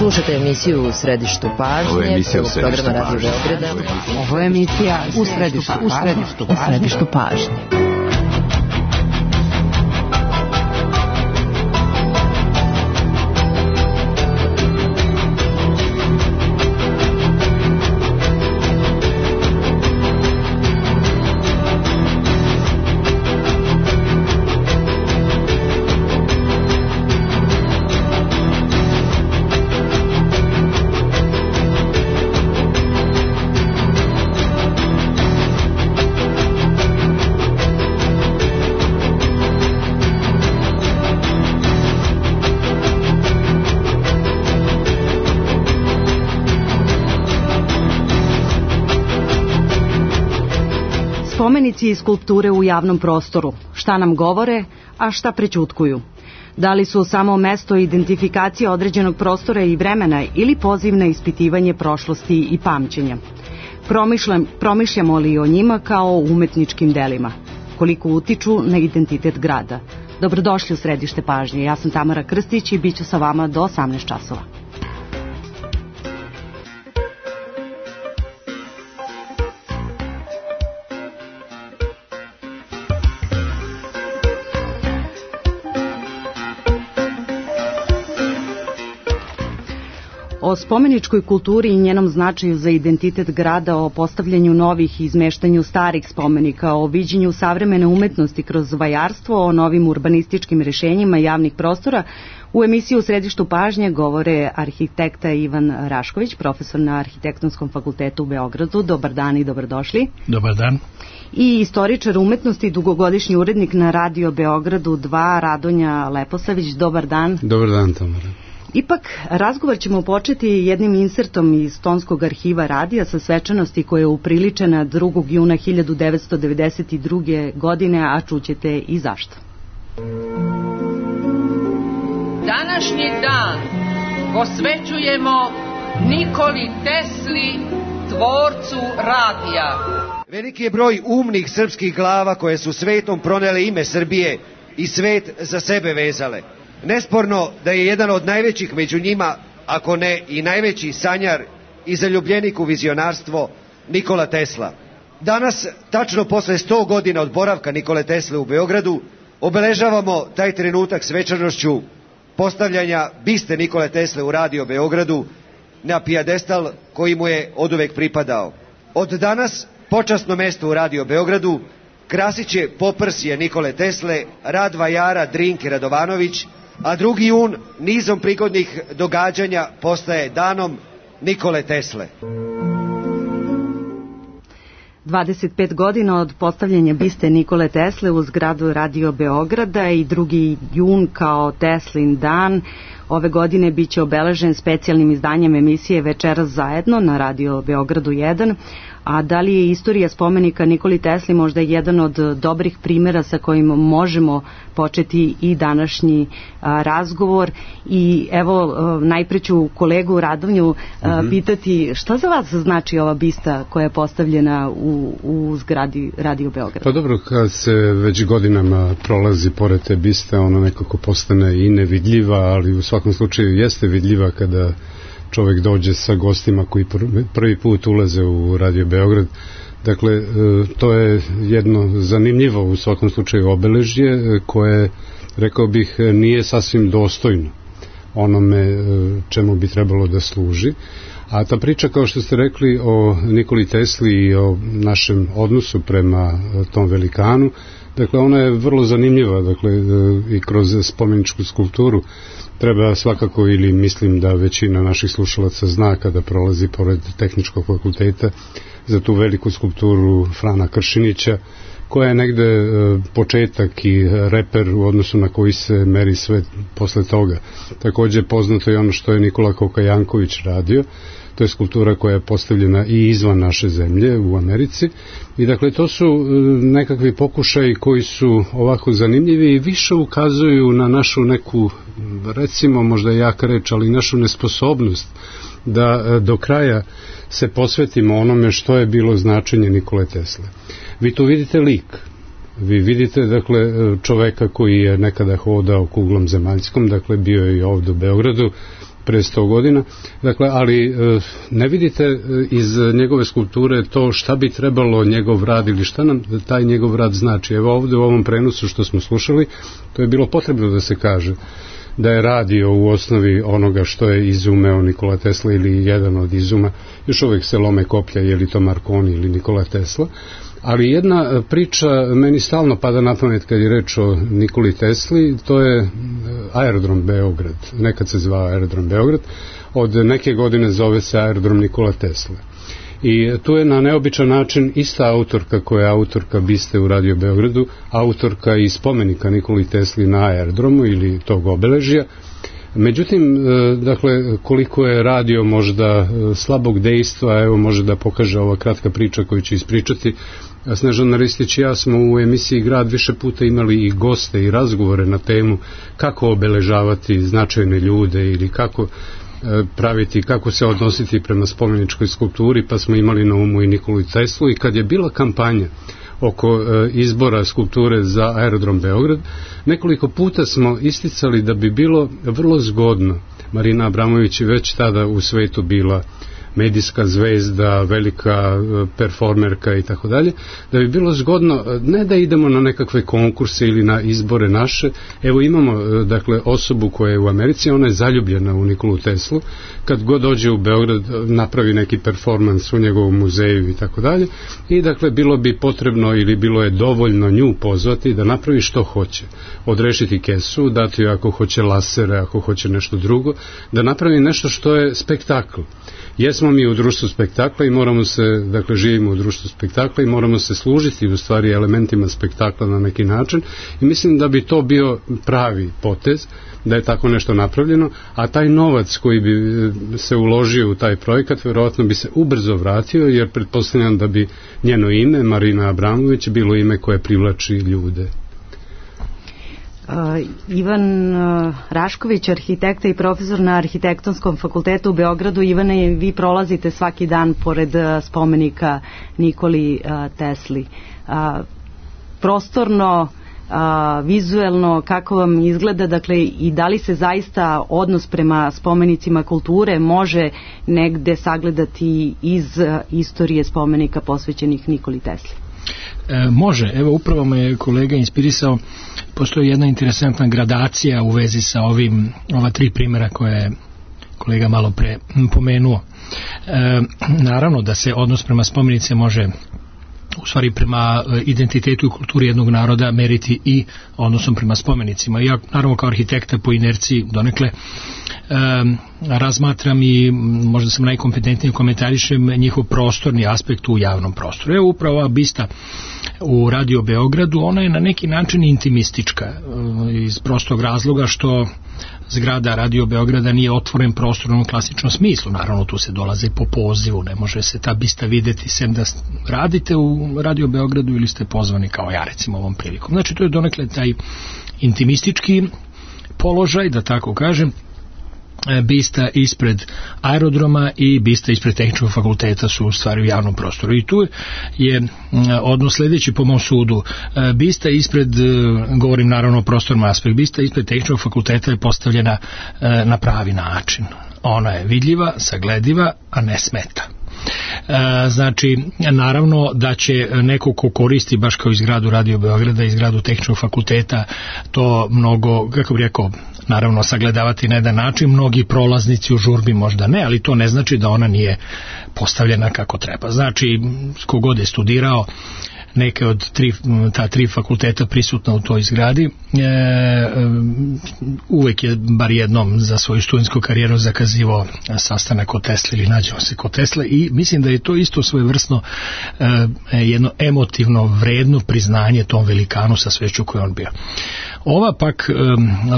Slušajte emisiju U središtu pažnje, programa Radio Beograda. Ovo je emisija U središtu pažnje. Spomenici i skulpture u javnom prostoru. Šta nam govore, a šta prećutkuju? Da li su samo mesto identifikacije određenog prostora i vremena ili poziv na ispitivanje prošlosti i pamćenja? Promišljamo li o njima kao umetničkim delima? Koliko utiču na identitet grada? Dobrodošli u središte pažnje. Ja sam Tamara Krstić i bit ću sa vama do 18 časova. O spomeničkoj kulturi i njenom značaju za identitet grada, o postavljanju novih i izmeštanju starih spomenika, o viđenju savremene umetnosti kroz vajarstvo, o novim urbanističkim rešenjima javnih prostora, u emisiji U središtu pažnje govore arhitekta Ivan Rašković, profesor na Arhitektonskom fakultetu u Beogradu. Dobar dan i dobrodošli. Dobar dan. I istoričar umetnosti i dugogodišnji urednik na Radio Beogradu 2, Radonja Leposavić. Dobar dan. Dobar dan, Tamara. Ipak, razgovor ćemo početi jednim insertom iz Tonskog arhiva radija sa svečanosti koja je upriličena 2. juna 1992. godine, a čućete i zašto. Današnji dan posvećujemo Nikoli Tesli, tvorcu radija. Veliki je broj umnih srpskih glava koje su svetom pronele ime Srbije i svet za sebe vezale. Nesporno da je jedan od najvećih među njima, ako ne i najveći sanjar i zaljubljenik u vizionarstvo, Nikola Tesla. Danas, tačno posle 100 godina od boravka Nikole Tesle u Beogradu, obeležavamo taj trenutak svečanošću postavljanja biste Nikole Tesle u Radio Beogradu na pijedestal koji mu je oduvek pripadao. Od danas počasno mesto u Radio Beogradu krasit će poprsje Nikole Tesle, rad vajara Drinke Radovanović, a 2. jun nizom prigodnih događanja postaje danom Nikole Tesle. 25 godina od postavljanja biste Nikole Tesle u zgradu Radio Beograda i 2. jun kao Teslin dan ove godine biće obeležen specijalnim izdanjem emisije Večeras zajedno na Radio Beogradu 1. A da li je istorija spomenika Nikoli Tesli možda jedan od dobrih primjera sa kojim možemo početi i današnji razgovor? I evo, najpre ću kolegu Radonju pitati šta za vas znači ova bista koja je postavljena u zgradi Radio Beograd? Pa dobro, kad se već godinama prolazi pored te biste, ona nekako postane i nevidljiva, ali u svakom slučaju jeste vidljiva kada čovjek dođe sa gostima koji prvi put ulaze u Radio Beograd. Dakle, to je jedno zanimljivo u svakom slučaju obeležje koje, rekao bih, nije sasvim dostojno onome čemu bi trebalo da služi. A ta priča, kao što ste rekli, o Nikoli Tesli i o našem odnosu prema tom velikanu, dakle, ona je vrlo zanimljiva, dakle, i kroz spomeničku skulpturu treba svakako, ili mislim da većina naših slušalaca zna kada prolazi pored Tehničkog fakulteta, za tu veliku skulpturu Frana Kršinića, koja je negde početak i reper u odnosu na koji se meri sve posle toga. Također poznato je ono što je Nikola Kokajanković radio. To je skulptura koja je postavljena i izvan naše zemlje u Americi. I dakle, to su nekakvi pokušaji koji su ovako zanimljivi i više ukazuju na našu neku, recimo možda jaka reč, ali našu nesposobnost da do kraja se posvetimo onome što je bilo značenje Nikole Tesle. Vi tu vidite lik. Vi vidite, dakle, čoveka koji je nekada hodao kuglom zemaljskom, dakle, bio je i ovdje u Beogradu, pre 100 godina. Dakle, ali ne vidite iz njegove skulpture to šta bi trebalo njegov rad ili šta nam taj njegov rad znači. Evo ovde u ovom prenosu što smo slušali, to je bilo potrebno da se kaže da je radio u osnovi onoga što je izumeo Nikola Tesla ili jedan od izuma, još uvijek se lome koplja je li to Marconi ili Nikola Tesla, ali jedna priča meni stalno pada na pamet kad je reč o Nikoli Tesli, to je aerodrom Beograd, nekad se zvao aerodrom Beograd, od neke godine zove se aerodrom Nikola Tesla. I tu je na neobičan način ista autorka koja je autorka biste u Radio Beogradu, autorka i spomenika Nikoli Tesli na aerodromu ili tog obeležja. Međutim, dakle, koliko je radio možda slabog dejstva, evo može da pokaže ova kratka priča koju ću ispričati. Snežana Ristić i ja smo u emisiji Grad više puta imali i goste i razgovore na temu kako obeležavati značajne ljude ili kako praviti, kako se odnositi prema spomeničkoj skulpturi, pa smo imali na umu i Nikolu Teslu i kad je bila kampanja oko izbora skulpture za aerodrom Beograd, nekoliko puta smo isticali da bi bilo vrlo zgodno, Marina Abramović je već tada u svetu bila medijska zvezda, velika performerka i tako dalje, da bi bilo zgodno ne da idemo na nekakve konkurse ili na izbore naše. Evo imamo dakle osobu koja je u Americi, ona je zaljubljena u Nikolu Teslu, kad god dođe u Beograd napravi neki performans u njegovom muzeju i tako dalje, i dakle bilo bi potrebno ili bilo je dovoljno nju pozvati da napravi što hoće, odrešiti kesu, dati joj ako hoće lasere, ako hoće nešto drugo, da napravi nešto što je spektakl. Jesmo mi u društvu spektakla i moramo se, dakle živimo u društvu spektakla i moramo se služiti u stvari elementima spektakla na neki način i mislim da bi to bio pravi potez, da je tako nešto napravljeno, a taj novac koji bi se uložio u taj projekat verovatno bi se ubrzo vratio, jer pretpostavljam da bi njeno ime, Marina Abramović, bilo ime koje privlači ljude. Ivan Rašković, arhitekta i profesor na Arhitektonskom fakultetu u Beogradu. Ivane, vi prolazite svaki dan pored spomenika Nikoli Tesli. Prostorno, vizuelno, kako vam izgleda, dakle, i da li se zaista odnos prema spomenicima kulture može negde sagledati iz istorije spomenika posvećenih Nikoli Tesli? Može, evo upravo me kolega inspirisao, postoji jedna interesantna gradacija u vezi sa ova tri primjera koje je kolega malo pre pomenuo. Naravno da se odnos prema spomenice može u stvari prema identitetu i kulturi jednog naroda meriti i odnosom prema spomenicima. Ja naravno kao arhitekta po inerciji donekle razmatram i možda sam najkompetentniji komentarišem njihov prostorni aspekt u javnom prostoru. Evo upravo ova bista u Radio Beogradu, ona je na neki način intimistička iz prostog razloga što zgrada Radio Beograda nije otvoren prostor u onom klasičnom smislu. Naravno tu se dolaze po pozivu, ne može se ta bista videti sem da radite u Radio Beogradu ili ste pozvani kao ja recimo ovom prilikom. Znači to je donekle taj intimistički položaj, da tako kažem. Bista ispred aerodroma i bista ispred Tehničkog fakulteta su u stvari u javnom prostoru i tu je odnos sljedeći po mom sudu. Bista ispred, govorim naravno o prostornom aspektu, bista ispred Tehničkog fakulteta je postavljena na pravi način. Ona je vidljiva, saglediva, a ne smeta. Znači, naravno da će neko ko koristi baš kao izgradu Radio Beograda i zgradu Tehničkog fakulteta to mnogo, kako bih rekao, naravno sagledavati na jedan način, mnogi prolaznici u žurbi možda ne, ali to ne znači da ona nije postavljena kako treba. Znači, kogod je studirao neke od ta tri fakulteta prisutna u toj zgradi, uvek je bar jednom za svoju studentsku karijeru zakazivao sastanak kod Tesla ili nađemo se kod Tesla i mislim da je to isto svojevrsno jedno emotivno vredno priznanje tom velikanu sa sveću koju on bio. Ova pak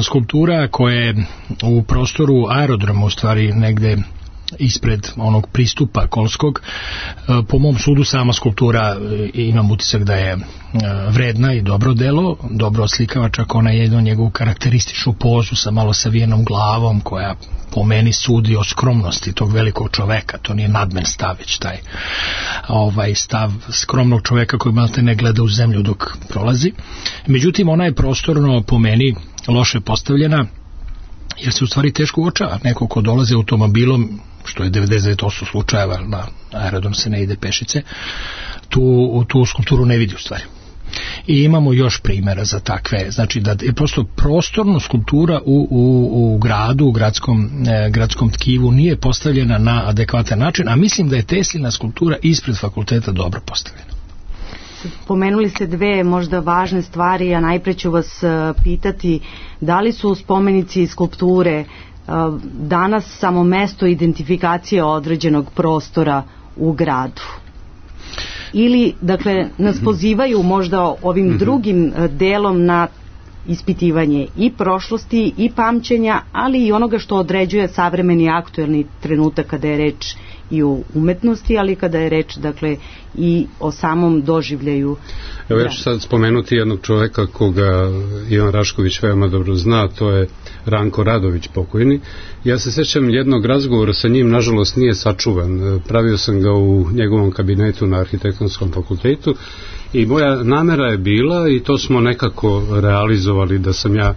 skulptura koja je u prostoru aerodroma u stvari negde ispred onog pristupa Kolskog, po mom sudu sama skulptura imam utisak da je vredna i dobro delo, dobro oslikava, čak ona je jednu njegovu karakterističnu pozu sa malo savijenom glavom koja po meni sudi o skromnosti tog velikog čoveka, to nije nadmen stav, već taj stav skromnog čoveka koji malo te ne gleda u zemlju dok prolazi. Međutim, ona je prostorno po meni loše postavljena jer se u stvari teško uočava. Neko ko dolazi automobilom, što je 99% slučajeva, na aerodrom se ne ide pešice, tu skulpturu ne vidi u stvari. I imamo još primjera za takve, znači da je prosto prostorno skulptura u gradu, u gradskom tkivu nije postavljena na adekvatan način, a mislim da je Teslina skulptura ispred fakulteta dobro postavljena. Pomenuli ste dve možda važne stvari, a najpre ću vas pitati da li su spomenici i skulpture danas samo mesto identifikacije određenog prostora u gradu? Ili, dakle, nas pozivaju možda ovim drugim delom na ispitivanje i prošlosti i pamćenja, ali i onoga što određuje savremeni aktuelni trenutak kada je reč i o umetnosti, ali kada je reč, dakle, i o samom doživljaju. Evo ja ću sad spomenuti jednog čoveka koga Ivan Rašković veoma dobro zna, to je Ranko Radović, pokojni. Ja se sjećam jednog razgovora sa njim, nažalost nije sačuvan. Pravio sam ga u njegovom kabinetu na Arhitektonskom fakultetu i moja namera je bila, i to smo nekako realizovali, da sam ja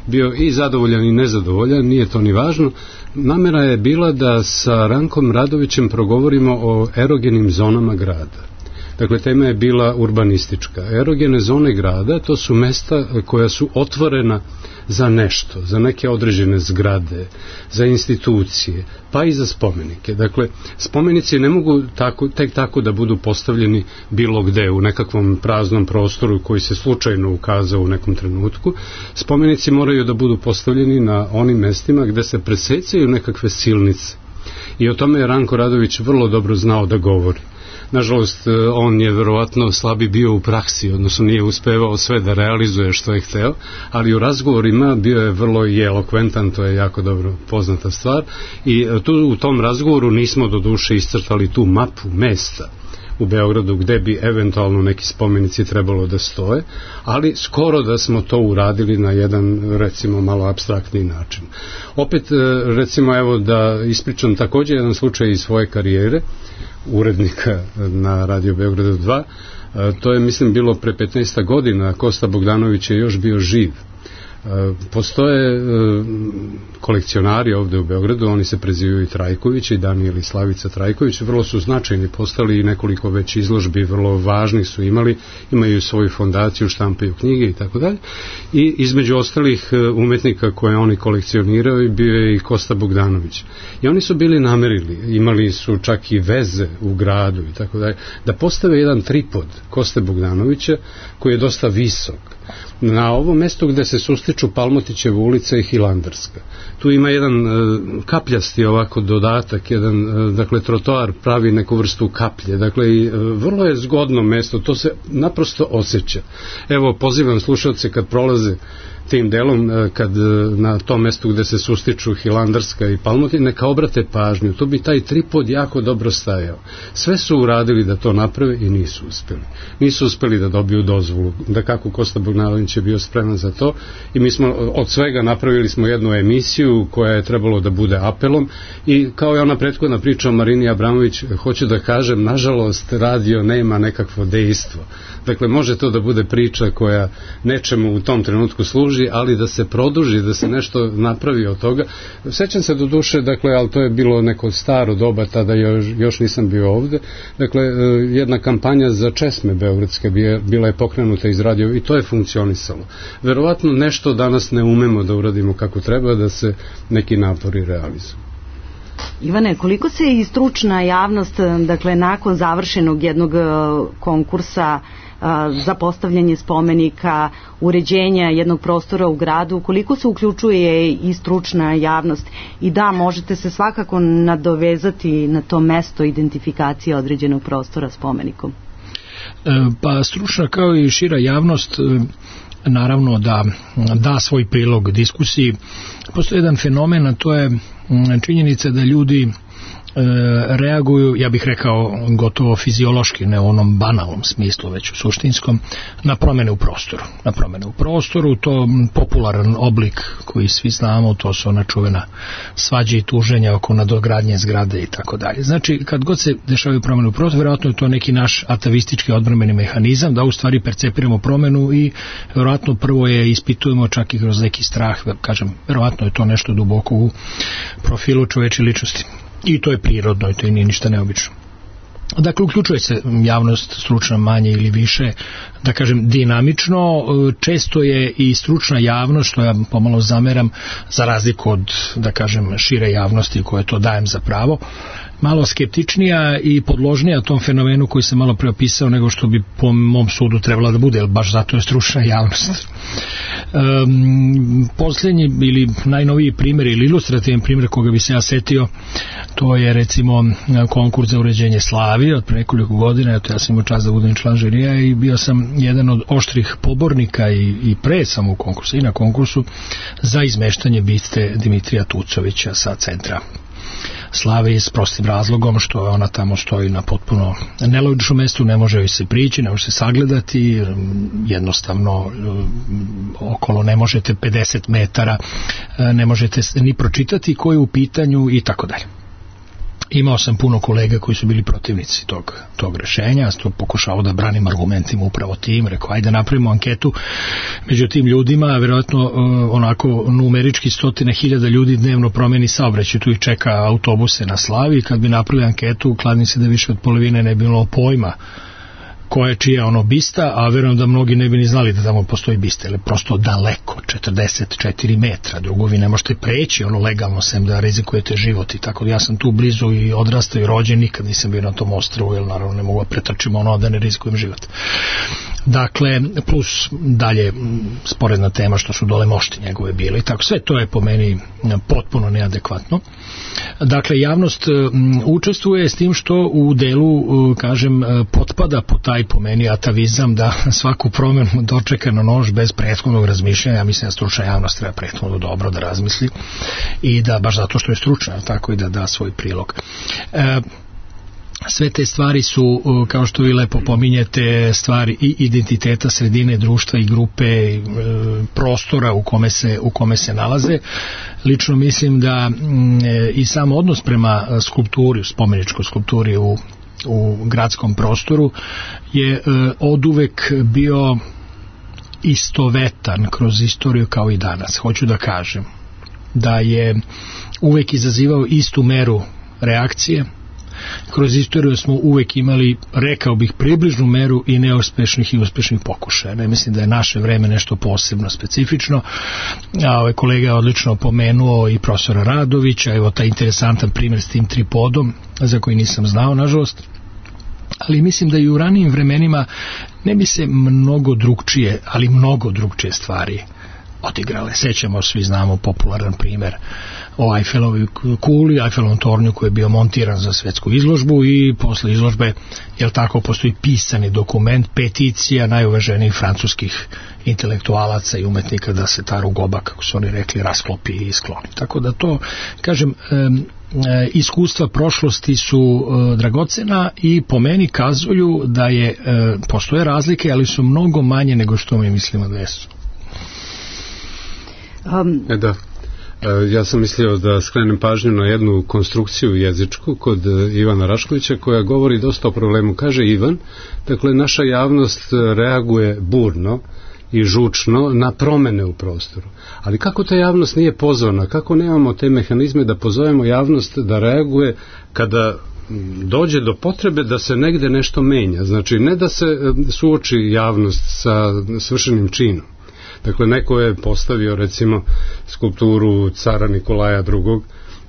bio i zadovoljan i nezadovoljan, nije to ni važno. Namera je bila da sa Rankom Radovićem progovorimo o erogenim zonama grada. Dakle, tema je bila urbanistička. Erogene zone grada, to su mesta koja su otvorena za nešto, za neke određene zgrade, za institucije, pa i za spomenike. Dakle, spomenici ne mogu tek tako da budu postavljeni bilo gde, u nekakvom praznom prostoru koji se slučajno ukazao u nekom trenutku. Spomenici moraju da budu postavljeni na onim mestima gde se presecaju nekakve silnice. I o tome je Ranko Radović vrlo dobro znao da govori. Nažalost, on je verovatno slabi bio u praksi, odnosno nije uspevao sve da realizuje što je hteo, ali u razgovorima bio je vrlo i elokventan, to je jako dobro poznata stvar, i u tom razgovoru nismo do duše iscrtali tu mapu mesta u Beogradu gde bi eventualno neki spomenici trebalo da stoje, ali skoro da smo to uradili na jedan, recimo, malo apstraktni način. Opet, recimo, evo da ispričam također jedan slučaj iz svoje karijere, urednika na Radio Beogradu 2, to je, mislim, bilo pre 15 godina, Kosta Bogdanović je još bio živ. Postoje kolekcionari ovde u Beogradu, oni se prezivaju i Trajković, i Danijel i Slavica Trajković, vrlo su značajni postali i nekoliko već izložbi vrlo važnih su imaju svoju fondaciju, štampaju knjige i tako dalje. I između ostalih umetnika koje oni kolekcioniraju bio je i Kosta Bogdanović. I oni su bili namerili, imali su čak i veze u gradu i tako dalje, da postave jedan tripod Koste Bogdanovića koji je dosta visok na ovom mestu gde se sustiču Palmotićeva ulica i Hilandarska. Tu ima jedan kapljasti ovako dodatak, jedan, dakle, trotoar pravi neku vrstu kaplje, dakle, i vrlo je zgodno mesto, to se naprosto osjeća. Evo, pozivam slušalce kad prolaze tim delom, kad na tom mestu gde se sustiču Hilandarska i Palmotiv, neka obrate pažnju, to bi taj tripod jako dobro stajao. Sve su uradili da to naprave i nisu uspeli. Nisu uspeli da dobiju dozvolu, da kako Kosta Bogdanović je bio spreman za to, i mi smo od svega napravili smo jednu emisiju koja je trebalo da bude apelom, i kao je ona prethodna priča o Marini Abramović, hoću da kažem, nažalost, radio nema nekakvo dejstvo. Dakle, može to da bude priča koja nečemu u tom trenutku služi, ali da se produži, da se nešto napravi od toga. Sećam se do duše, dakle, ali to je bilo neko staro doba, tada još nisam bio ovde. Dakle, jedna kampanja za česme beogradske bila je pokrenuta iz radio i to je funkcionisalo. Verovatno nešto danas ne umemo da uradimo kako treba, da se neki napori realizuju. Ivane, koliko se i stručna javnost, dakle, nakon završenog jednog konkursa za postavljanje spomenika, uređenja jednog prostora u gradu, koliko se uključuje i stručna javnost? I da, možete se svakako nadovezati na to mesto identifikacije određenog prostora spomenikom. Pa stručna kao i šira javnost naravno da svoj prilog diskusiji. Postoji jedan fenomen, a to je činjenica da ljudi reaguju, ja bih rekao gotovo fiziološki, ne u onom banalnom smislu, već u suštinskom, na promene u prostoru. Na promene u prostoru, to popularan oblik koji svi znamo, to su ona čuvena svađe i tuženja oko nadogradnje zgrade i tako dalje. Znači, kad god se dešavaju promene u prostoru, vjerojatno je to neki naš atavistički odbrambeni mehanizam, da u stvari percepiramo promenu i vjerojatno prvo je ispitujemo čak i kroz neki strah, kažem, vjerojatno je to nešto duboko u profilu čoveče ličnosti. I to je prirodno i to nije ništa neobično. Dakle, uključuje se javnost stručna manje ili više, da kažem, dinamično. Često je i stručna javnost, što ja pomalo zameram, za razliku od, da kažem, šire javnosti koje to dajem za pravo, malo skeptičnija i podložnija tom fenomenu koji se malo preopisao nego što bi po mom sudu trebala da bude, jer baš zato je stručna javnost. Posljednji ili najnoviji primjer ili ilustrativan primjer koga bi se ja setio, to je recimo konkurs za uređenje Slavije od pre nekoliko godina. Eto, ja sam imao čast da budem član žirija i bio sam jedan od oštrih pobornika i pre sam u konkursu i na konkursu za izmeštanje biste Dimitrija Tucovića sa centra Slavije, s prostim razlogom što ona tamo stoji na potpuno nelogičnom mjestu, ne može joj se prići, ne može se sagledati, jednostavno okolo ne možete 50 metara, ne možete ni pročitati ko je u pitanju i tako dalje. Imao sam puno kolega koji su bili protivnici tog rešenja, ja sam pokušao da branim argumentima upravo tim, rekao ajde napravimo anketu među tim ljudima, vjerojatno onako numerički 100.000 ljudi dnevno promeni saobraćaj, tu ih čeka autobuse na Slavi, kad bi napravili anketu, kladim se da više od polovine ne bilo pojma koja je čija ono bista, a verujem da mnogi ne bi ni znali da tamo postoji bista, jer je prosto daleko, 44 metra, drugo vi ne možete preći ono legalno, sem da rizikujete život i tako. Ja sam tu blizu i odrastao i rođen, nikad nisam bio na tom ostrvu, jer naravno ne mogu da pretrčim ono da ne rizikujem život. Dakle, plus dalje sporedna tema što su dole mošti njegove bile i tako, sve to je po meni potpuno neadekvatno. Dakle, javnost učestvuje s tim što u delu, kažem, potpada po taj po meni atavizam da svaku promjenu dočeka na nož bez prethodnog razmišljanja. Ja mislim da stručna javnost treba prethodno dobro da razmisli i da baš zato što je stručna, tako i da da svoj prilog. Sve te stvari su, kao što vi lepo pominjete, stvari i identiteta sredine, društva i grupe, prostora u kome se nalaze. Lično mislim da i sam odnos prema skulpturi, spomeničkoj skulpturi u gradskom prostoru je oduvek bio istovetan kroz istoriju kao i danas. Hoću da kažem da je uvek izazivao istu meru reakcije. Kroz istoriju smo uvek imali, rekao bih, približnu meru i neuspešnih i uspešnih pokušaja. Ne mislim da je naše vreme nešto posebno specifično. A kolega je odlično pomenuo i profesora Radovića, evo taj interesantan primjer s tim tripodom, za koji nisam znao, nažalost. Ali mislim da i u ranijim vremenima ne bi se mnogo drugčije stvari odigrale. Sećamo, svi znamo popularan primjer o Eiffelovoj kuli, Eiffelovom tornju koji je bio montiran za svetsku izložbu i posle izložbe, jel tako, postoji pisani dokument, peticija najuvaženijih francuskih intelektualaca i umetnika da se ta rugoba, kako su oni rekli, rasklopi i skloni. Tako da to, kažem, iskustva prošlosti su dragocena i po meni kazuju da postoje razlike, ali su mnogo manje nego što mi mislimo da jesu. Da. Ja sam mislio da skrenem pažnju na jednu konstrukciju jezičku kod Ivana Raškovića koja govori dosta o problemu. Kaže Ivan, dakle, naša javnost reaguje burno i žučno na promene u prostoru. Ali kako ta javnost nije pozvana? Kako nemamo te mehanizme da pozovemo javnost da reaguje kada dođe do potrebe da se negde nešto menja? Znači, ne da se suoči javnost sa svršenim činom. Dakle, neko je postavio recimo skulpturu cara Nikolaja II.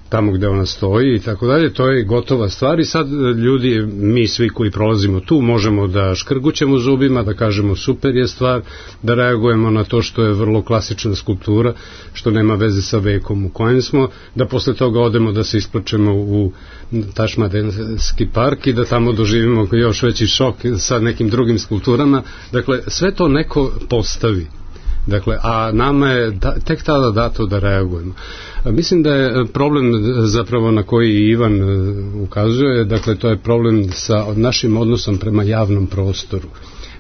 Tamo gde ona stoji i tako dalje, to je gotova stvar i sad ljudi, mi svi koji prolazimo tu, možemo da škrgućemo zubima, da kažemo super je stvar, da reagujemo na to što je vrlo klasična skulptura, što nema veze sa vekom u kojem smo, da posle toga odemo da se isplačemo u Tašmadenski park i da tamo doživimo još veći šok sa nekim drugim skulpturama. Dakle, sve to neko postavi. Dakle, a nama je tek tada dato da reagujemo. Mislim da je problem zapravo na koji Ivan ukazuje, dakle to je problem sa našim odnosom prema javnom prostoru.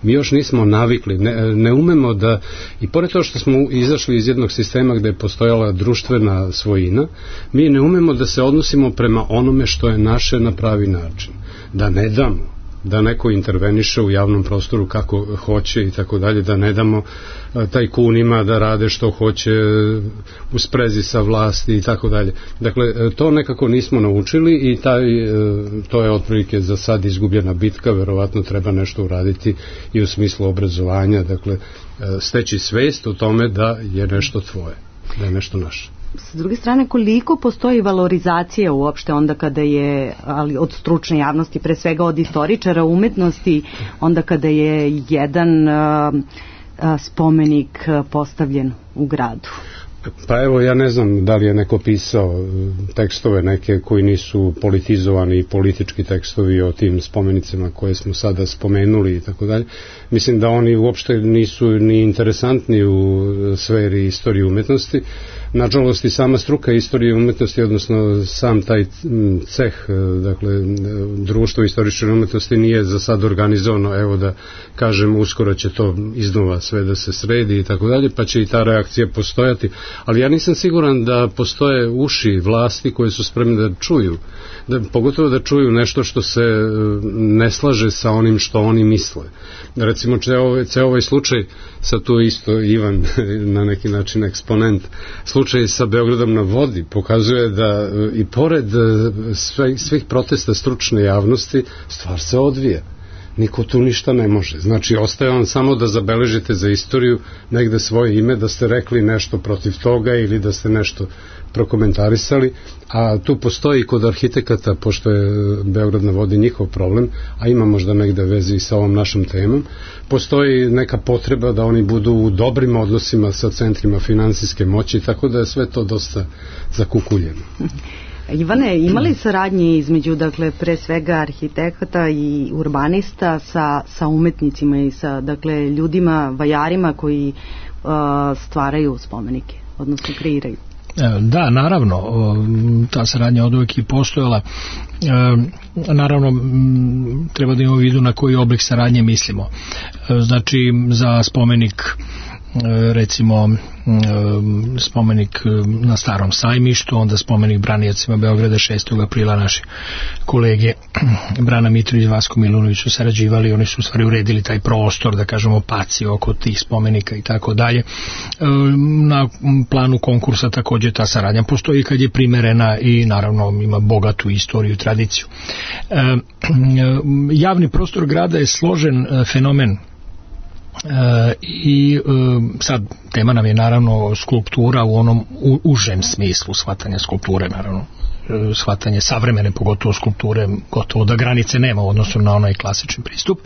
Mi još nismo navikli, ne umemo da, i pored toho što smo izašli iz jednog sistema gde je postojala društvena svojina, mi ne umemo da se odnosimo prema onome što je naše na pravi način. Da ne damo da neko interveniše u javnom prostoru kako hoće i tako dalje, da ne damo tajkunima da rade što hoće u sprezi sa vlasti i tako dalje. Dakle, to nekako nismo naučili i to je otprilike za sad izgubljena bitka, verovatno treba nešto uraditi i u smislu obrazovanja, dakle, steći svest o tome da je nešto tvoje, da je nešto naše. S druge strane, koliko postoji valorizacija uopšte onda kada je, ali od stručne javnosti, pre svega od istoričara umetnosti, onda kada je jedan spomenik postavljen u gradu? Pa evo, ja ne znam da li je neko pisao tekstove neke koji nisu politizovani i politički tekstovi o tim spomenicima koje smo sada spomenuli i tako dalje. Mislim da oni uopšte nisu ni interesantni u sferi istorije umetnosti. Nažalost i sama struka istorije umetnosti, odnosno sam taj ceh, dakle društvo istorične umetnosti nije za sad organizovano, evo da kažem uskoro će to iznova sve da se sredi i tako dalje, pa će i ta reakcija postojati, ali ja nisam siguran da postoje uši vlasti koje su spremne da čuju, pogotovo da čuju nešto što se ne slaže sa onim što oni misle. Recimo, ceo ovaj slučaj, sad tu isto Ivan na neki način eksponent, slučaj sa Beogradom na vodi pokazuje da i pored svih protesta stručne javnosti stvar se odvija. Niko tu ništa ne može. Znači, ostaje vam samo da zabeležite za istoriju negde svoje ime, da ste rekli nešto protiv toga ili da ste nešto prokomentarisali, a tu postoji kod arhitekata, pošto je Beograd na vodi njihov problem, a ima možda negde veze i sa ovom našom temom, postoji neka potreba da oni budu u dobrim odnosima sa centrima finansijske moći, tako da je sve to dosta zakukuljeno. Ivane, imali saradnje između, dakle, pre svega arhitekata i urbanista sa umetnicima i sa, dakle, ljudima, vajarima koji stvaraju spomenike, odnosno kreiraju? Da, naravno, ta saradnja od uvijek i postojala. Naravno, treba da imamo u vidu na koji oblik saradnje mislimo. Znači, za spomenik, recimo spomenik na Starom sajmištu, onda spomenik braniocima Beograda 6. aprila, naši kolege Brana Mitrović i Vasko Milunović su sarađivali, oni su u stvari uredili taj prostor, da kažemo, paci oko tih spomenika i tako dalje. Na planu konkursa takođe ta saradnja postoji kad je primerena i naravno ima bogatu istoriju i tradiciju. Javni prostor grada je složen fenomen i sad tema nam je naravno skulptura u onom užem smislu shvatanja skulpture, naravno shvatanje savremene, pogotovo skulpture, gotovo da granice nema u odnosu na onaj klasični pristup.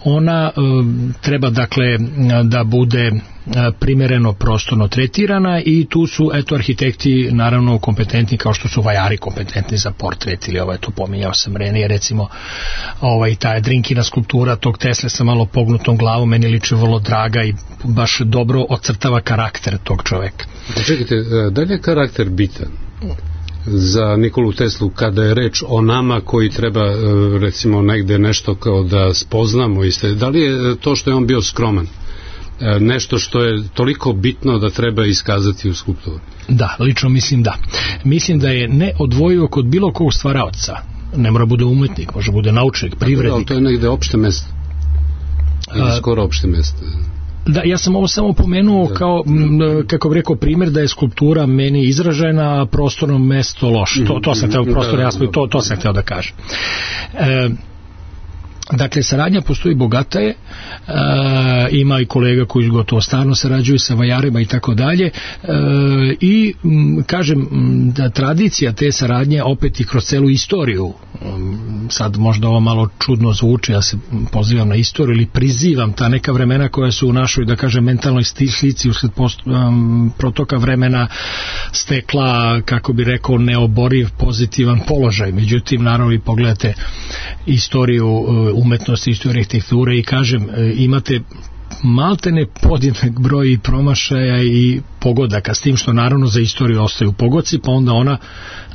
Ona treba, dakle, da bude primereno prostorno tretirana i tu su, eto, arhitekti naravno kompetentni, kao što su vajari kompetentni za portret, ili to pominjao sam ranije, recimo ta Drinkina skulptura tog Tesle sa malo pognutom glavom, meni liči vrlo draga i baš dobro ocrtava karakter tog čoveka. Čekajte, da li je karakter bitan za Nikolu Teslu kada je reč o nama koji treba, recimo, negde nešto kao da spoznamo, da li je to što je on bio skroman nešto što je toliko bitno da treba iskazati u skulpturi? Da, lično mislim da. Mislim da je neodvojivo kod bilo kog stvaraoca. Ne mora bude umetnik, može bude naučnik, privrednik. Ali to je negde opšte mesto. Ili skoro opšte mesto. Da, ja sam ovo samo pomenuo kao, kako bih rekao, primjer da je skulptura meni izražena, a prostorno mesto loše. To sam hteo, to sam hteo da kažem. Dakle, saradnja postoji, bogata je, ima i kolega koji gotovo stalno sarađuju sa vajarima i tako dalje, i kažem da tradicija te saradnje opet i kroz celu istoriju, sad možda ovo malo čudno zvuči, ja se pozivam na istoriju ili prizivam ta neka vremena koja su u našoj, da kažem, mentalnoj slici usled protoka vremena stekla, kako bi rekao, neoboriv pozitivan položaj. Međutim, naravno, i pogledate istoriju umetnosti, istoriju arhitekture i kažem, imate maltene podjednak broj i promašaja i pogodaka, s tim što naravno za istoriju ostaju pogodci, pa onda ona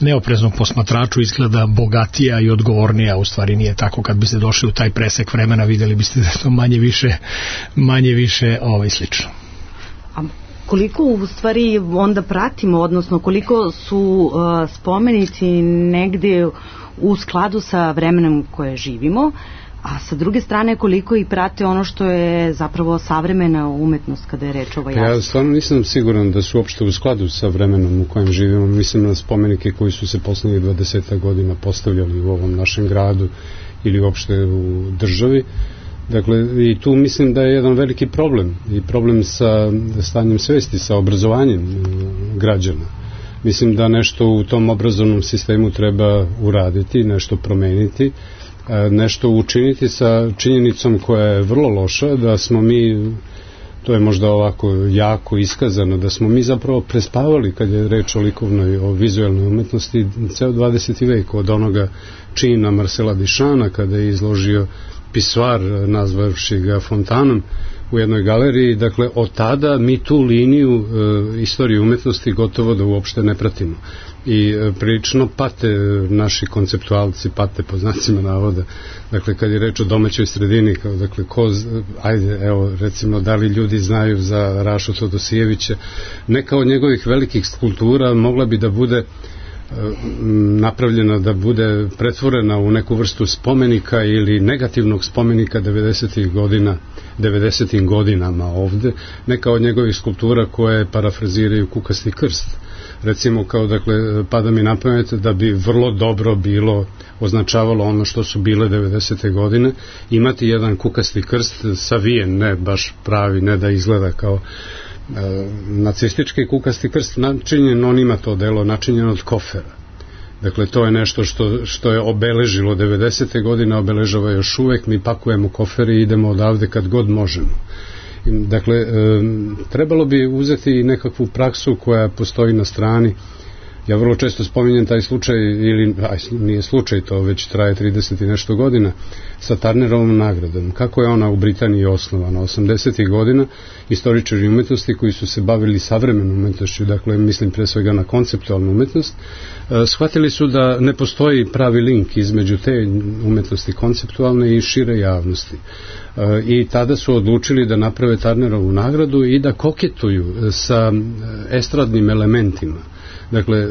neopreznom posmatraču izgleda bogatija i odgovornija, u stvari nije tako. Kad biste došli u taj presek vremena, videli biste da je to manje više slično. A koliko u stvari onda pratimo, odnosno koliko su spomenici negde u skladu sa vremenom koje živimo, a sa druge strane koliko i prate ono što je zapravo savremena umetnost kada je reč o ovoj Ja stvarno nisam siguran da su uopšte u skladu sa vremenom u kojem živimo. Mislim na spomenike koji su se poslednjih 20 godina postavljali u ovom našem gradu ili uopšte u državi. Dakle, i tu mislim da je jedan veliki problem i problem sa stanjem svesti, sa obrazovanjem građana. Mislim da nešto u tom obrazovnom sistemu treba uraditi, nešto promeniti, nešto učiniti sa činjenicom koja je vrlo loša, da smo mi, to je možda ovako jako iskazano, da smo mi zapravo prespavali kad je reč o likovnoj, o vizualnoj umetnosti ceo 20. vek, od onoga čina Marcela Duchampa kada je izložio Pisoar, nazvavši ga fontanom u jednoj galeriji. Dakle, od tada mi tu liniju istorije umetnosti gotovo da uopšte ne pratimo. I prilično pate naši konceptualci, pate po znacima navoda. Dakle, kad je reč o domaćoj sredini, dakle, ajde, evo, recimo, da li ljudi znaju za Rašu Todosijevića, neka od njegovih velikih skulptura mogla bi da bude napravljena, da bude pretvorena u neku vrstu spomenika ili negativnog spomenika 90. godinama ovde, neka od njegovih skulptura koje parafraziraju Kukasti krst. Recimo, kao, dakle, pada mi na pamet da bi vrlo dobro bilo označavalo ono što su bile 90. godine, imati jedan kukasti krst savijen, ne baš pravi, ne da izgleda kao nacistički kukasti krst, načinjen, on ima to delo, načinjen od kofera. Dakle, to je nešto što je obeležilo 90. godine, obeležava još uvek, mi pakujemo kofere i idemo odavde kad god možemo. Dakle, trebalo bi uzeti nekakvu praksu koja postoji na strani. Ja vrlo često spominjem taj slučaj, ili nije slučaj, to već traje 30 i nešto godina, sa Turnerovom nagradom. Kako je ona u Britaniji osnovana? 80. godina istoričari umetnosti koji su se bavili savremenom umetnošću, dakle mislim pre svega na konceptualnu umetnost, shvatili su da ne postoji pravi link između te umetnosti konceptualne i šire javnosti. I tada su odlučili da naprave Turnerovu nagradu i da koketuju sa estradnim elementima. Dakle,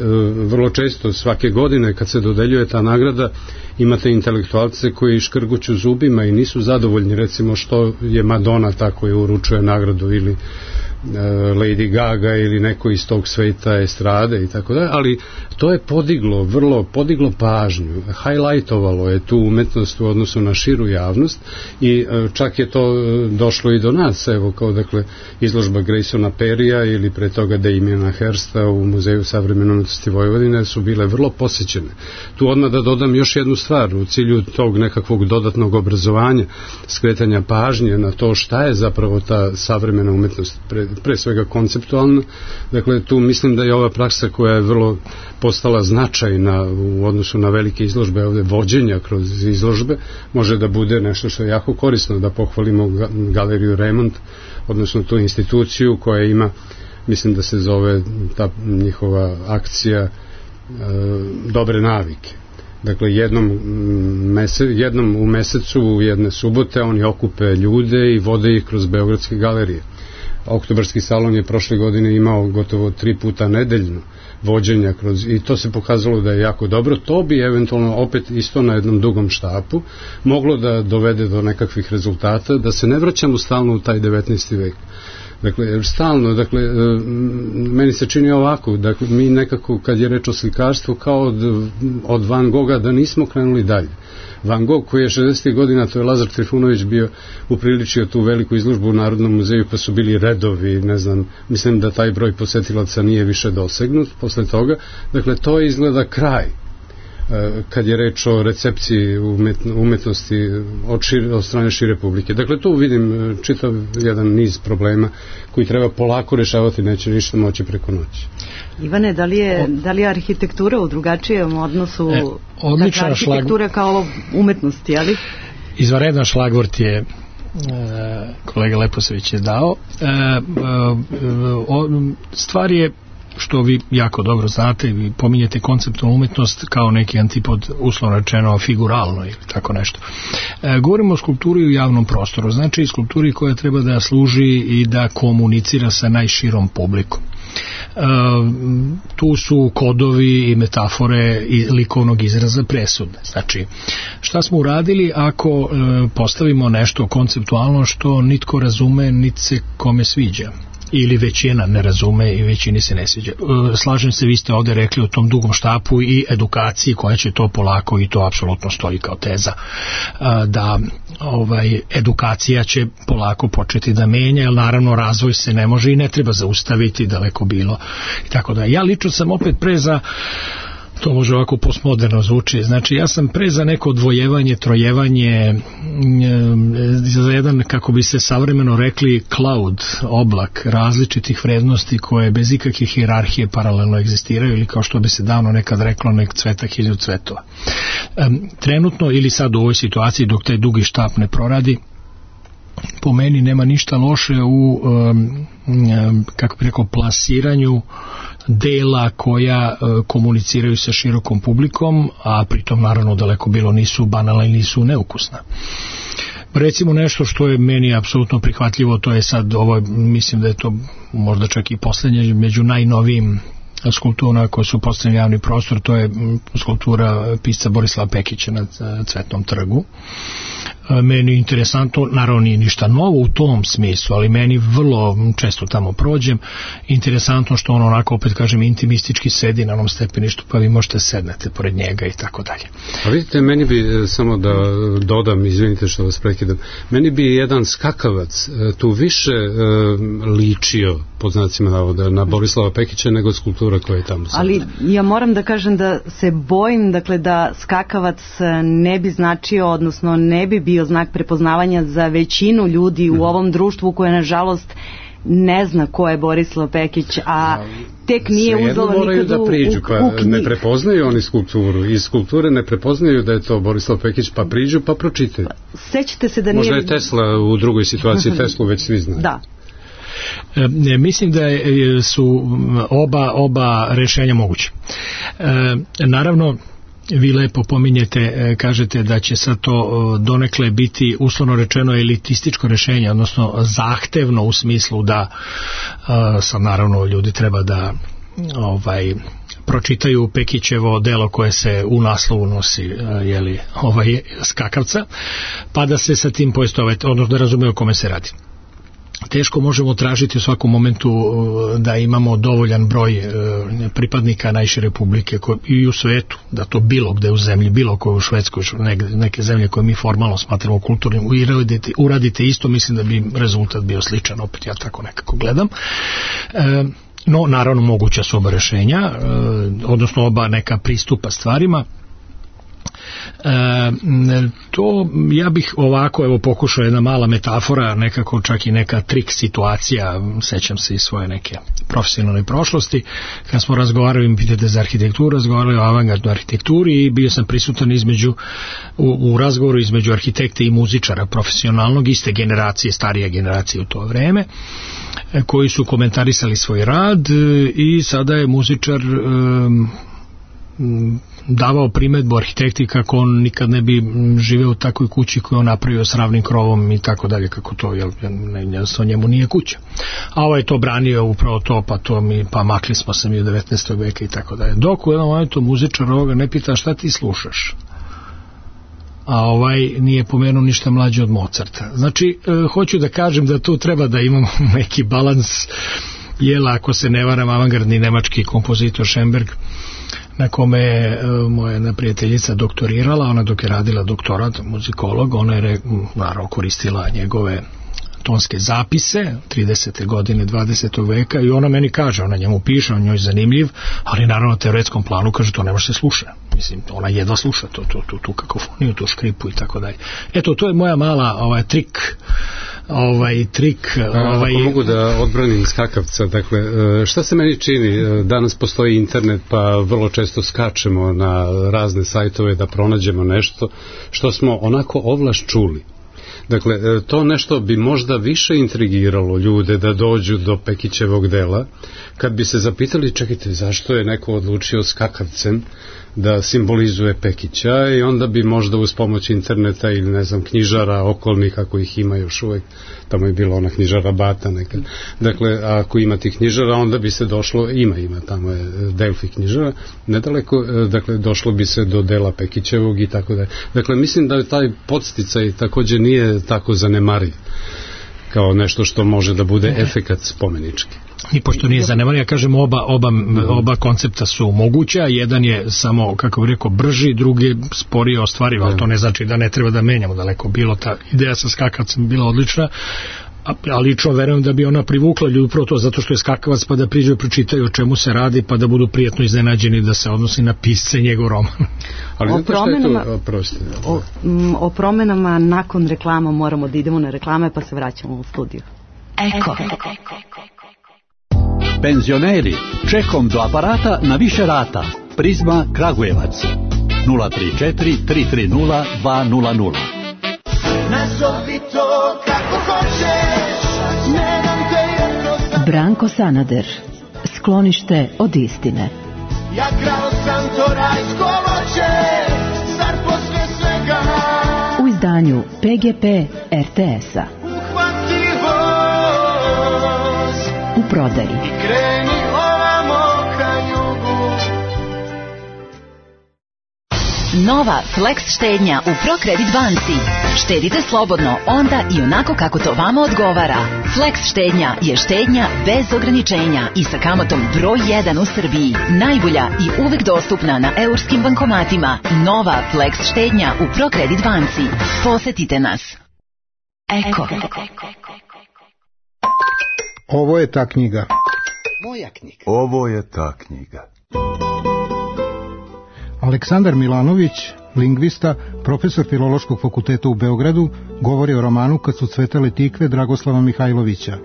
vrlo često svake godine kad se dodeljuje ta nagrada imate intelektualce koji škrguću zubima i nisu zadovoljni, recimo, što je Madonna ta koja uručuje nagradu ili Lady Gaga ili neko iz tog sveta estrade i tako dalje, ali to je vrlo podiglo pažnju, highlightovalo je tu umetnost u odnosu na širu javnost i čak je to došlo i do nas, evo, kao, dakle, izložba Graysona Perrya ili pre toga Damiena Hirsta u Muzeju savremene umetnosti Vojvodine su bile vrlo posećene. Tu odmah da dodam još jednu stvar u cilju tog nekakvog dodatnog obrazovanja, skretanja pažnje na to šta je zapravo ta savremena umetnost, pre svega konceptualno. Dakle, tu mislim da je ova praksa koja je vrlo postala značajna u odnosu na velike izložbe, ovde vođenja kroz izložbe, može da bude nešto što je jako korisno, da pohvalimo galeriju Remont, odnosno tu instituciju koja ima, mislim da se zove ta njihova akcija dobre navike. Dakle, jednom u mesecu, jedne subote, oni okupe ljude i vode ih kroz beogradske galerije. Oktobarski salon je prošle godine imao gotovo 3 puta nedeljno vođenja i to se pokazalo da je jako dobro. To bi eventualno opet isto na jednom dugom štapu moglo da dovede do nekakvih rezultata, da se ne vraćamo stalno u taj 19. vek. Dakle, stalno, dakle, meni se čini ovako, dakle, mi nekako, kad je reč o slikarstvu, kao od Van Gogha, da nismo krenuli dalje. Van Gogh, koji je 60. godina, to je Lazar Trifunović bio, upriličio tu veliku izložbu u Narodnom muzeju, pa su bili redovi, ne znam, mislim da taj broj posetilaca nije više dosegnut posle toga. Dakle, to izgleda kraj kad je reč o recepciji umetnosti od strane šire publike. Dakle, tu vidim čitav jedan niz problema koji treba polako rešavati, neće ništa moći preko noći. Ivane, da li je arhitektura u drugačijem odnosu, odlična arhitektura kao umetnosti, ali? Izvanredan šlagvort je kolega Leposavić je dao. Stvar je, što vi jako dobro znate, vi pominjete konceptualnu umetnost kao neki antipod, uslovno rečeno figuralno ili tako nešto. Govorimo o skulpturi u javnom prostoru, znači skulpturi koja treba da služi i da komunicira sa najširom publikom. Tu su kodovi i metafore i likovnog izraza presudne. Znači, šta smo uradili ako postavimo nešto konceptualno što nitko razume, niti se kome sviđa, ili većina ne razume i većini se ne sviđa. Slažem se, vi ste ovde rekli o tom dugom štapu i edukaciji koja će to polako, i to apsolutno stoji kao teza, da edukacija će polako početi da menja, jer naravno razvoj se ne može i ne treba zaustaviti, daleko bilo i tako da. Ja lično sam opet pre za, to može ovako postmoderno zvuči, znači ja sam pre za neko odvojevanje, trojevanje, za jedan, kako bi se savremeno rekli, cloud, oblak različitih vrednosti koje bez ikakve hijerarhije paralelno egzistiraju, ili kao što bi se davno nekad reklo, nek cveta hiljadu cvetova. Trenutno ili sad u ovoj situaciji dok taj dugi štap ne proradi, po meni nema ništa loše u kako bi rekao, plasiranju dela koja komuniciraju sa širokom publikom, a pritom naravno daleko bilo nisu banalna i nisu neukusna. Recimo nešto što je meni apsolutno prihvatljivo, to je sad ovo, mislim da je to možda čak i poslednje među najnovijim skulptura koje su postavljeni javni prostor, to je skulptura pisca Borislava Pekića na Cvetnom trgu. Meni je interesantno, naravno nije ništa novo u tom smislu, ali meni vrlo često tamo prođem, interesantno što on onako, opet kažem, intimistički sedi na onom stepeništu, pa vi možete sednete pored njega i tako dalje. A vidite, meni bi, samo da dodam, izvinite što vas prekidam, meni bi jedan skakavac tu više ličio, pod znacima navoda, na Borislava Pekića nego skulptura koja je tamo. Ali ja moram da kažem da se bojim, dakle, da skakavac ne bi značio, odnosno ne bi bio znak prepoznavanja za većinu ljudi u ovom društvu koje nažalost ne zna ko je Borislav Pekić, a tek nije uzelo nikad da priđu, pa ne prepoznaju oni skulpturu, iz skulpture ne prepoznaju da je to Borislav Pekić, pa priđu pa pročitaju. Sećate se da nije... Možda je Tesla u drugoj situaciji, Teslu već svi znaju. Da. Mislim da su oba rešenja moguće. Naravno, vi lepo pominjete, kažete da će sad to donekle biti uslovno rečeno elitističko rešenje, odnosno zahtevno u smislu da sad naravno ljudi treba da pročitaju Pekićevo delo koje se u naslovu nosi skakavca, pa da se sa tim poistovete, odnosno da razumeju o kome se radi. Teško možemo tražiti u svakom momentu da imamo dovoljan broj pripadnika najšire publike i u svetu, da to bilo gde u zemlji, bilo koje u Švedskoj, neke zemlje koje mi formalno smatramo kulturnim, uradite isto, mislim da bi rezultat bio sličan, opet ja tako nekako gledam. No, naravno, moguća su oba rešenja, odnosno oba neka pristupa stvarima. To ja bih ovako, evo, pokušao jedna mala metafora, nekako čak i neka trik situacija, sećam se iz svoje neke profesionalne prošlosti, kad smo razgovarali, pitate za arhitekturu, razgovarali o avangardnoj arhitekturi i bio sam prisutan u razgovoru između arhitekta i muzičara profesionalnog, iste generacije, starije generacije u to vreme, koji su komentarisali svoj rad i sada je muzičar davao primedbu arhitekti kako on nikad ne bi živeo u takvoj kući koju on napravio s ravnim krovom i tako dalje, kako to, jednostavno njemu nije kuća. A ovaj je to branio, upravo to, pa makli smo se mi u 19. veka i tako dalje. Dok u jednom momentu muzičar ovoga ne pita šta ti slušaš, a ovaj nije pomenuo ništa mlađe od Mozarta. Znači, hoću da kažem da tu treba da imamo neki balans, jela, ako se ne varam, avangardni nemački kompozitor Schoenberg, na kome je moja jedna prijateljica doktorirala, ona dok je radila doktorat, muzikolog, ona je naravno koristila njegove tonske zapise 30. godine 20. veka i ona meni kaže, ona njemu piše, on njoj zanimljiv, ali naravno na teoretskom planu kaže to ne može se sluša. Mislim, ona jedva sluša tu kakofoniju, tu škripu i tako dalje. Eto, to je moja mala trik. Ako mogu da odbranim skakavca, dakle, šta se meni čini, danas postoji internet, pa vrlo često skačemo na razne sajtove da pronađemo nešto što smo onako ovlaš čuli. Dakle, to nešto bi možda više intrigiralo ljude da dođu do Pekićevog dela, kad bi se zapitali, čekajte, zašto je neko odlučio skakavcem da simbolizuje Pekića, i onda bi možda uz pomoć interneta ili ne znam knjižara okolnih, ako ih ima još uvek, tamo je bila ona knjižara Bata nekad, dakle ako ima tih knjižara, onda bi se došlo, ima tamo je Delfi knjižara nedaleko, dakle došlo bi se do dela Pekićevog i tako da. Dakle mislim da taj podsticaj takođe nije tako zanemariv kao nešto što može da bude efekat spomenički. I pošto nije zanemariv, ja kažem oba koncepta su moguća, jedan je samo, kako bih rekao, brži, drugi sporije ostvariv, ali to ne znači da ne treba da menjamo, daleko bilo, ta ideja sa skakavcem bila odlična, a lično verujem da bi ona privukla ljudi upravo to zato što je skakavac, pa da priđu i pročitaju o čemu se radi, pa da budu prijatno iznenađeni da se odnosi na pisce njegov roman. Ali o promenama nakon reklama moramo da idemo na reklame, pa se vraćamo u studiju. Eko. Penzioneri, čekom do aparata na više rata. Prizma Kragujevac 034 330 200. Nazovi to kako hoćeš, ne dam te jednostavno. Branko Sanader, Sklonište od istine. Ja krao sam to rajsko voće, zar posle svega u izdanju PGP RTS-a. Uhvati voz u prodaji. I kreni ovamo ka jugu. Nova Flex štednja u ProCredit banci. Štedite slobodno onda i onako kako to vama odgovara. Flex štednja je štednja bez ograničenja i sa kamatom broj 1 u Srbiji. Najbolja i uvek dostupna na eurskim bankomatima. Nova Flex štednja u ProCredit banci. Posetite nas. Eko. Ovo je ta knjiga. Moja knjiga. Ovo je ta knjiga. Aleksandar Milanović, lingvista, profesor Filološkog fakulteta u Beogradu, govori o romanu Kad su cvetale tikve Dragoslava Mihajlovića.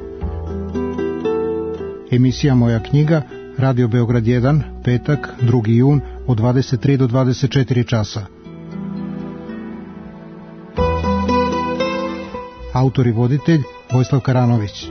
Emisija Moja knjiga, Radio Beograd 1, petak, 2. jun, od 23 do 24 časa. Autor i voditelj Vojislav Karanović.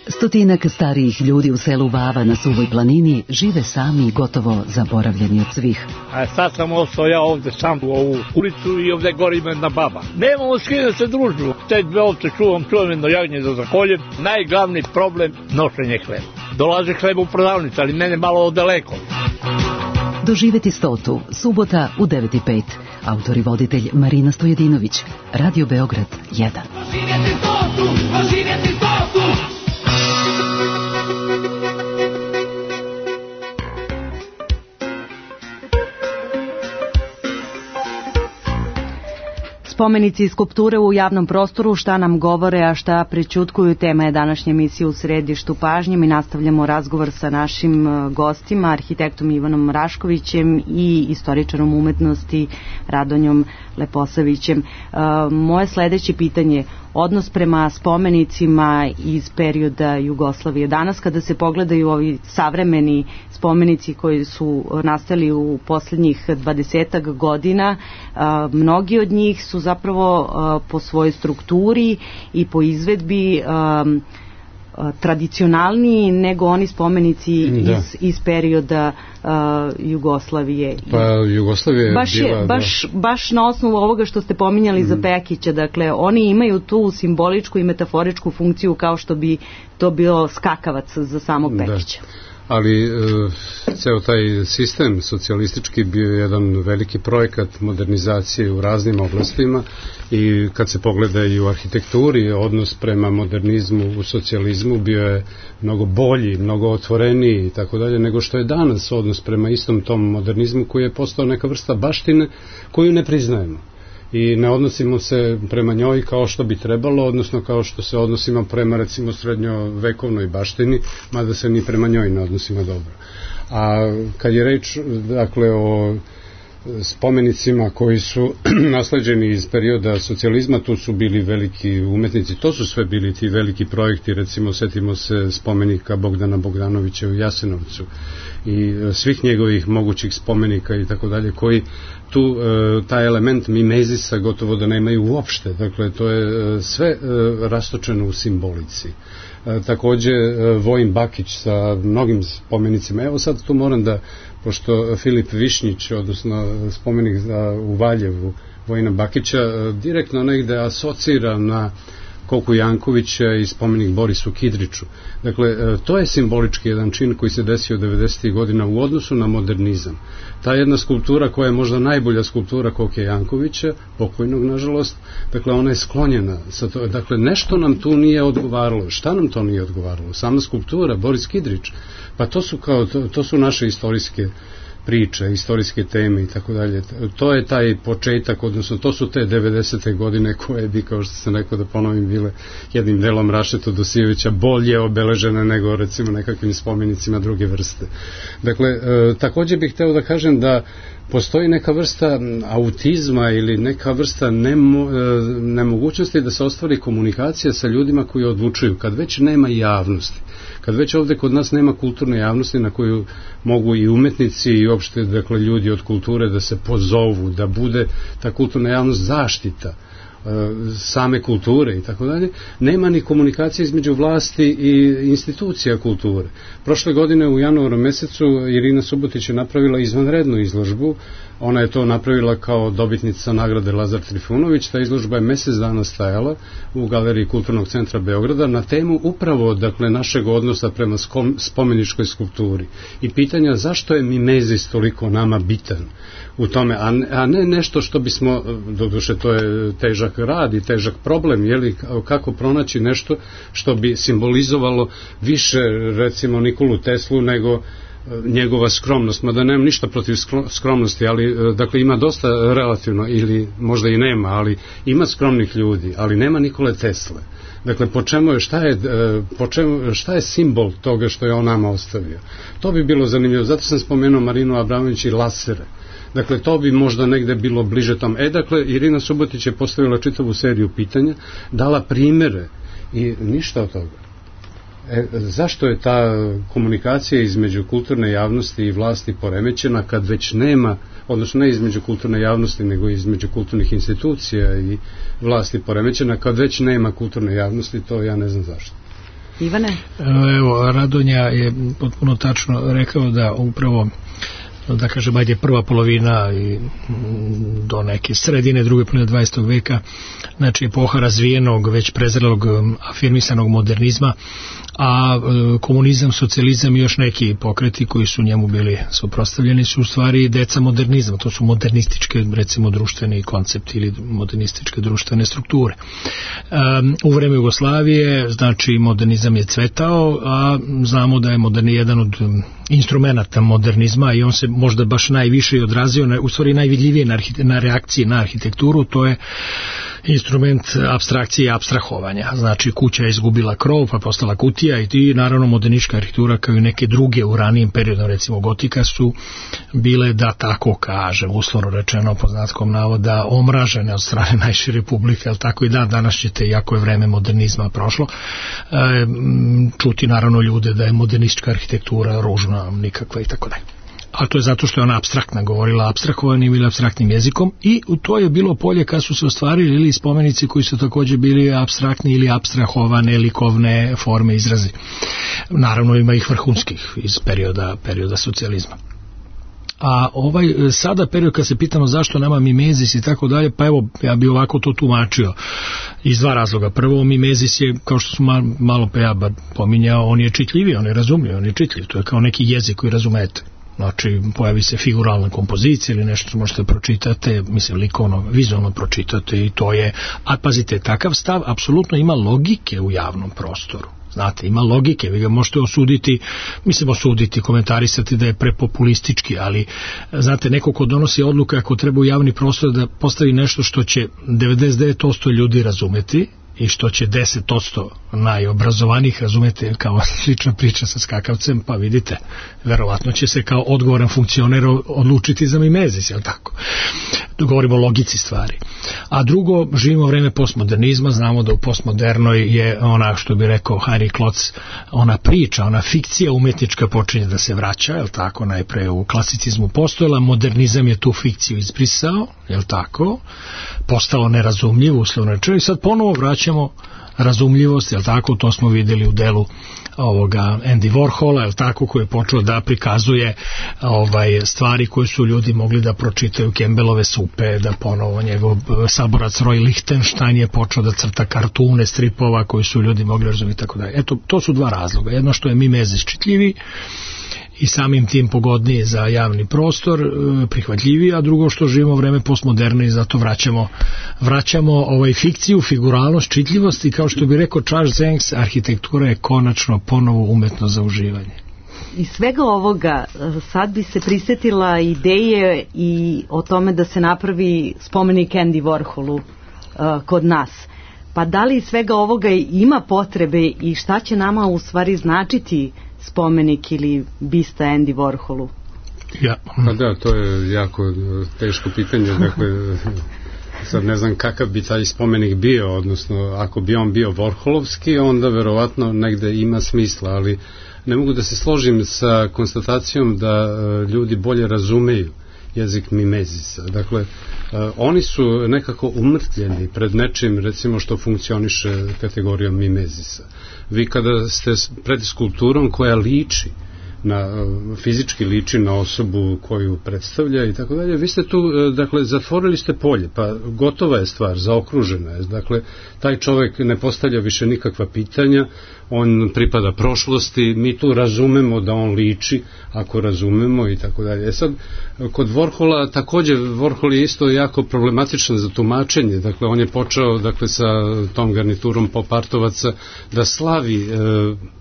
Stotinak starijih ljudi u selu Vava na Suvoj planini žive sami i gotovo zaboravljeni od svih. A sad sam ostao ja ovde sam u ovu ulicu i ovde gori me jedna baba. Nemamo s kim da se družimo. Te dve ovce čuvam jedno jagnje da zakoljem. Najglavni problem nošenje hleba. Dolaze hleba u prodavnicu, ali mene malo daleko. Doživeti 100. subota u 9:05. Autor i voditelj Marina Stojedinović. Radio Beograd 1. Doživjeti 100, doživjeti 100. Spomenici i skulpture u javnom prostoru, šta nam govore, a šta prećutkuju, tema je današnje emisije U središtu pažnje. Mi nastavljamo razgovor sa našim gostima, arhitektom Ivanom Raškovićem i istoričarom umetnosti Radonjom Leposavićem. Moje sledeće pitanje, odnos prema spomenicima iz perioda Jugoslavije. Danas kada se pogledaju ovi savremeni spomenici koji su nastali u posljednjih 20 godina, mnogi od njih su zapravo po svojoj strukturi i po izvedbi tradicionalniji nego oni spomenici iz perioda Jugoslavije. Pa Jugoslavija je baš na osnovu ovoga što ste pominjali za Pekića, dakle oni imaju tu simboličku i metaforičku funkciju kao što bi to bio skakavac za samog Pekića. Ali ceo taj sistem socijalistički bio je jedan veliki projekat modernizacije u raznim oblastima i kad se pogleda i u arhitekturi odnos prema modernizmu u socijalizmu bio je mnogo bolji, mnogo otvoreniji i tako dalje nego što je danas odnos prema istom tom modernizmu koji je postao neka vrsta baštine koju ne priznajemo i ne odnosimo se prema njoj kao što bi trebalo, odnosno kao što se odnosimo prema recimo srednjovekovnoj baštini, mada se ni prema njoj ne odnosimo dobro. A kad je reč dakle o spomenicima koji su nasleđeni iz perioda socijalizma. Tu su bili veliki umetnici, to su sve bili ti veliki projekti, recimo setimo se spomenika Bogdana Bogdanovića u Jasenovcu i svih njegovih mogućih spomenika i tako dalje, koji tu taj element mimezisa gotovo da nemaju uopšte, dakle to je sve rastočeno u simbolici. Takođe Vojin Bakić sa mnogim spomenicima. Evo sad tu moram da, pošto Filip Višnjić, odnosno spomenik u Valjevu Vojina Bakića, direktno negde asocira na Koku Jankovića i spomenik Borisu Kidriću. Dakle, to je simbolički jedan čin koji se desio 90. godina u odnosu na modernizam. Ta jedna skulptura koja je možda najbolja skulptura Koke Jankovića, pokojnog nažalost, dakle ona je sklonjena. Dakle, nešto nam tu nije odgovaralo. Šta nam to nije odgovaralo? Sama skulptura, Boris Kidrić, pa to su naše istorijske priče, istorijske teme i tako dalje. To je taj početak, odnosno to su te 90. godine koje bi, kao što sam rekao da ponovim, bile jednim delom Rašeta Dosijevića bolje obeležene nego recimo nekakvim spomenicima druge vrste. Dakle, takođe bih hteo da kažem da postoji neka vrsta autizma ili neka vrsta nemogućnosti da se ostvari komunikacija sa ljudima koji odlučuju, kad već nema javnosti, kad već ovde kod nas nema kulturne javnosti na koju mogu i umetnici i uopšte, dakle, ljudi od kulture da se pozovu, da bude ta kulturna javnost zaštita same kulture i tako dalje, nema ni komunikacije između vlasti i institucija kulture. Prošle godine u januaru mesecu Irina Subotić je napravila izvanrednu izložbu. Ona je to napravila kao dobitnica nagrade Lazar Trifunović. Ta izložba je mesec dana stajala u Galeriji Kulturnog centra Beograda na temu upravo, dakle, našeg odnosa prema spomeničkoj skulpturi i pitanja zašto je mimezis toliko nama bitan u tome, a ne nešto što bismo, doduše to je težak rad i težak problem, jeli, kako pronaći nešto što bi simbolizovalo više, recimo, Nikolu Teslu nego njegova skromnost, mada nemam ništa protiv skromnosti, ali dakle ima dosta relativno, ili možda i nema, ali ima skromnih ljudi, ali nema Nikole Tesle. Dakle, šta je simbol toga što je on nama ostavio? To bi bilo zanimljivo, zato sam spomenuo Marinu Abramović i lasere. Dakle, to bi možda negde bilo bliže tom. Dakle, Irina Subotić je postavila čitavu seriju pitanja, dala primere i ništa od toga. Zašto je ta komunikacija između kulturne javnosti i vlasti poremećena kad već nema, odnosno ne između kulturne javnosti nego između kulturnih institucija i vlasti poremećena kad već nema kulturne javnosti, to ja ne znam zašto. Ivane? Evo, Radonja je potpuno tačno rekao da upravo, da kažem, ajde, prva polovina i do neke sredine druge polovine 20. veka, znači epoha razvijenog, već prezrelog, afirmisanog modernizma, a komunizam, socijalizam i još neki pokreti koji su njemu bili suprotstavljeni su u stvari deca modernizma, to su modernističke, recimo, društveni koncepti ili modernističke društvene strukture. U vreme Jugoslavije, znači, modernizam je cvetao, a znamo da je jedan od instrumenta modernizma i on se možda baš najviše odrazio, u stvari najvidljivije na reakciji na arhitekturu, to je instrument apstrakcije i apstrahovanja. Znači, kuća je izgubila krov, pa postala kutija i naravno modernistička arhitektura kao i neke druge u ranijem periodu, recimo gotika, su bile, da tako kažem, uslovno rečeno po značkom navoda, omražene od strane najšire publike, ali tako i danas ćete, iako je vreme modernizma prošlo, čuti naravno ljude da je modernistička arhitektura ružna, nikakva i tako dalje. A to je zato što je ona apstraktna, govorila apstrahovanim ili apstraktnim jezikom, i to je bilo polje kad su se ostvarili ili spomenici koji su takođe bili apstraktni ili apstrahovane likovne forme, izrazi. Naravno ima ih vrhunskih iz perioda socijalizma. A sada period kad se pitamo zašto nama mimezis i tako dalje, pa evo, ja bi ovako to tumačio iz dva razloga. Prvo, mimezis je, kao što smo malo pominjao, on je čitljiviji, on je razumljiv, on je čitljiv, to je kao neki jezik koji razumete. Znači, pojavi se figuralna kompozicija ili nešto što možete pročitate, mislim, likovno, vizualno pročitate, i to je, a pazite, takav stav apsolutno ima logike u javnom prostoru. Znate, ima logike, vi ga možete osuditi, komentarisati da je prepopulistički, ali, znate, neko ko donosi odluke ako treba u javni prostor da postavi nešto što će 99% ljudi razumeti, i što će 10% najobrazovanijih, razumete, kao slična priča sa skakavcem, pa vidite, verovatno će se kao odgovoran funkcioner odlučiti za mimezis, je li tako? Govorimo o logici stvari. A drugo, živimo vreme postmodernizma, znamo da u postmodernoj je ona, što bi rekao Heinrich Klotz, ona priča, ona fikcija umetnička počinje da se vraća, je li tako? Najpre u klasicizmu postojala, modernizam je tu fikciju izbrisao, je li tako? Postalo nerazumljivo, uslovno rečeno, i sad ponovo vraćamo razumljivost, je li tako? To smo vidjeli u delu ovoga Andy Warhola, je li tako, koji je počeo da prikazuje stvari koje su ljudi mogli da pročitaju, Campbellove supe, da ponovo njegov saborac Roy Lichtenstein je počeo da crta kartune stripova koji su ljudi mogli razumjeti, tako da. Eto, to su dva razloga. Jedno što je mimezis čitljivi i samim tim pogodniji za javni prostor, prihvatljiviji, a drugo što živimo vreme postmoderne i zato vraćamo fikciju, figuralnost, čitljivost i kao što bi rekao Charles Zenks, arhitektura je konačno ponovo umetnost za uživanje. Iz svega ovoga sad bi se prisjetila ideje i o tome da se napravi spomenik Andy Warholu kod nas. Pa da li iz svega ovoga ima potrebe i šta će nama u stvari značiti spomenik ili bista Andy Warholu? Ja. Pa da, to je jako teško pitanje, dakle sad ne znam kakav bi taj spomenik bio, odnosno ako bi on bio Warholovski, onda verovatno negde ima smisla, ali ne mogu da se složim sa konstatacijom da ljudi bolje razumeju jezik mimezisa. Dakle, oni su nekako umrtvljeni pred nečim, recimo, što funkcioniše kategorijom mimezisa. Vi kada ste pred skulpturom koja liči fizički liči na osobu koju predstavlja i tako dalje, vi ste tu, dakle, zatvorili ste polje, pa gotova je stvar, zaokružena je. Dakle, taj čovjek ne postavlja više nikakva pitanja, on pripada prošlosti, mi tu razumemo da on liči, ako razumemo i tako dalje. Sad, kod Warhola, također, Warhol je isto jako problematičan za tumačenje, dakle, on je počeo, dakle, sa tom garniturom popartovaca da slavi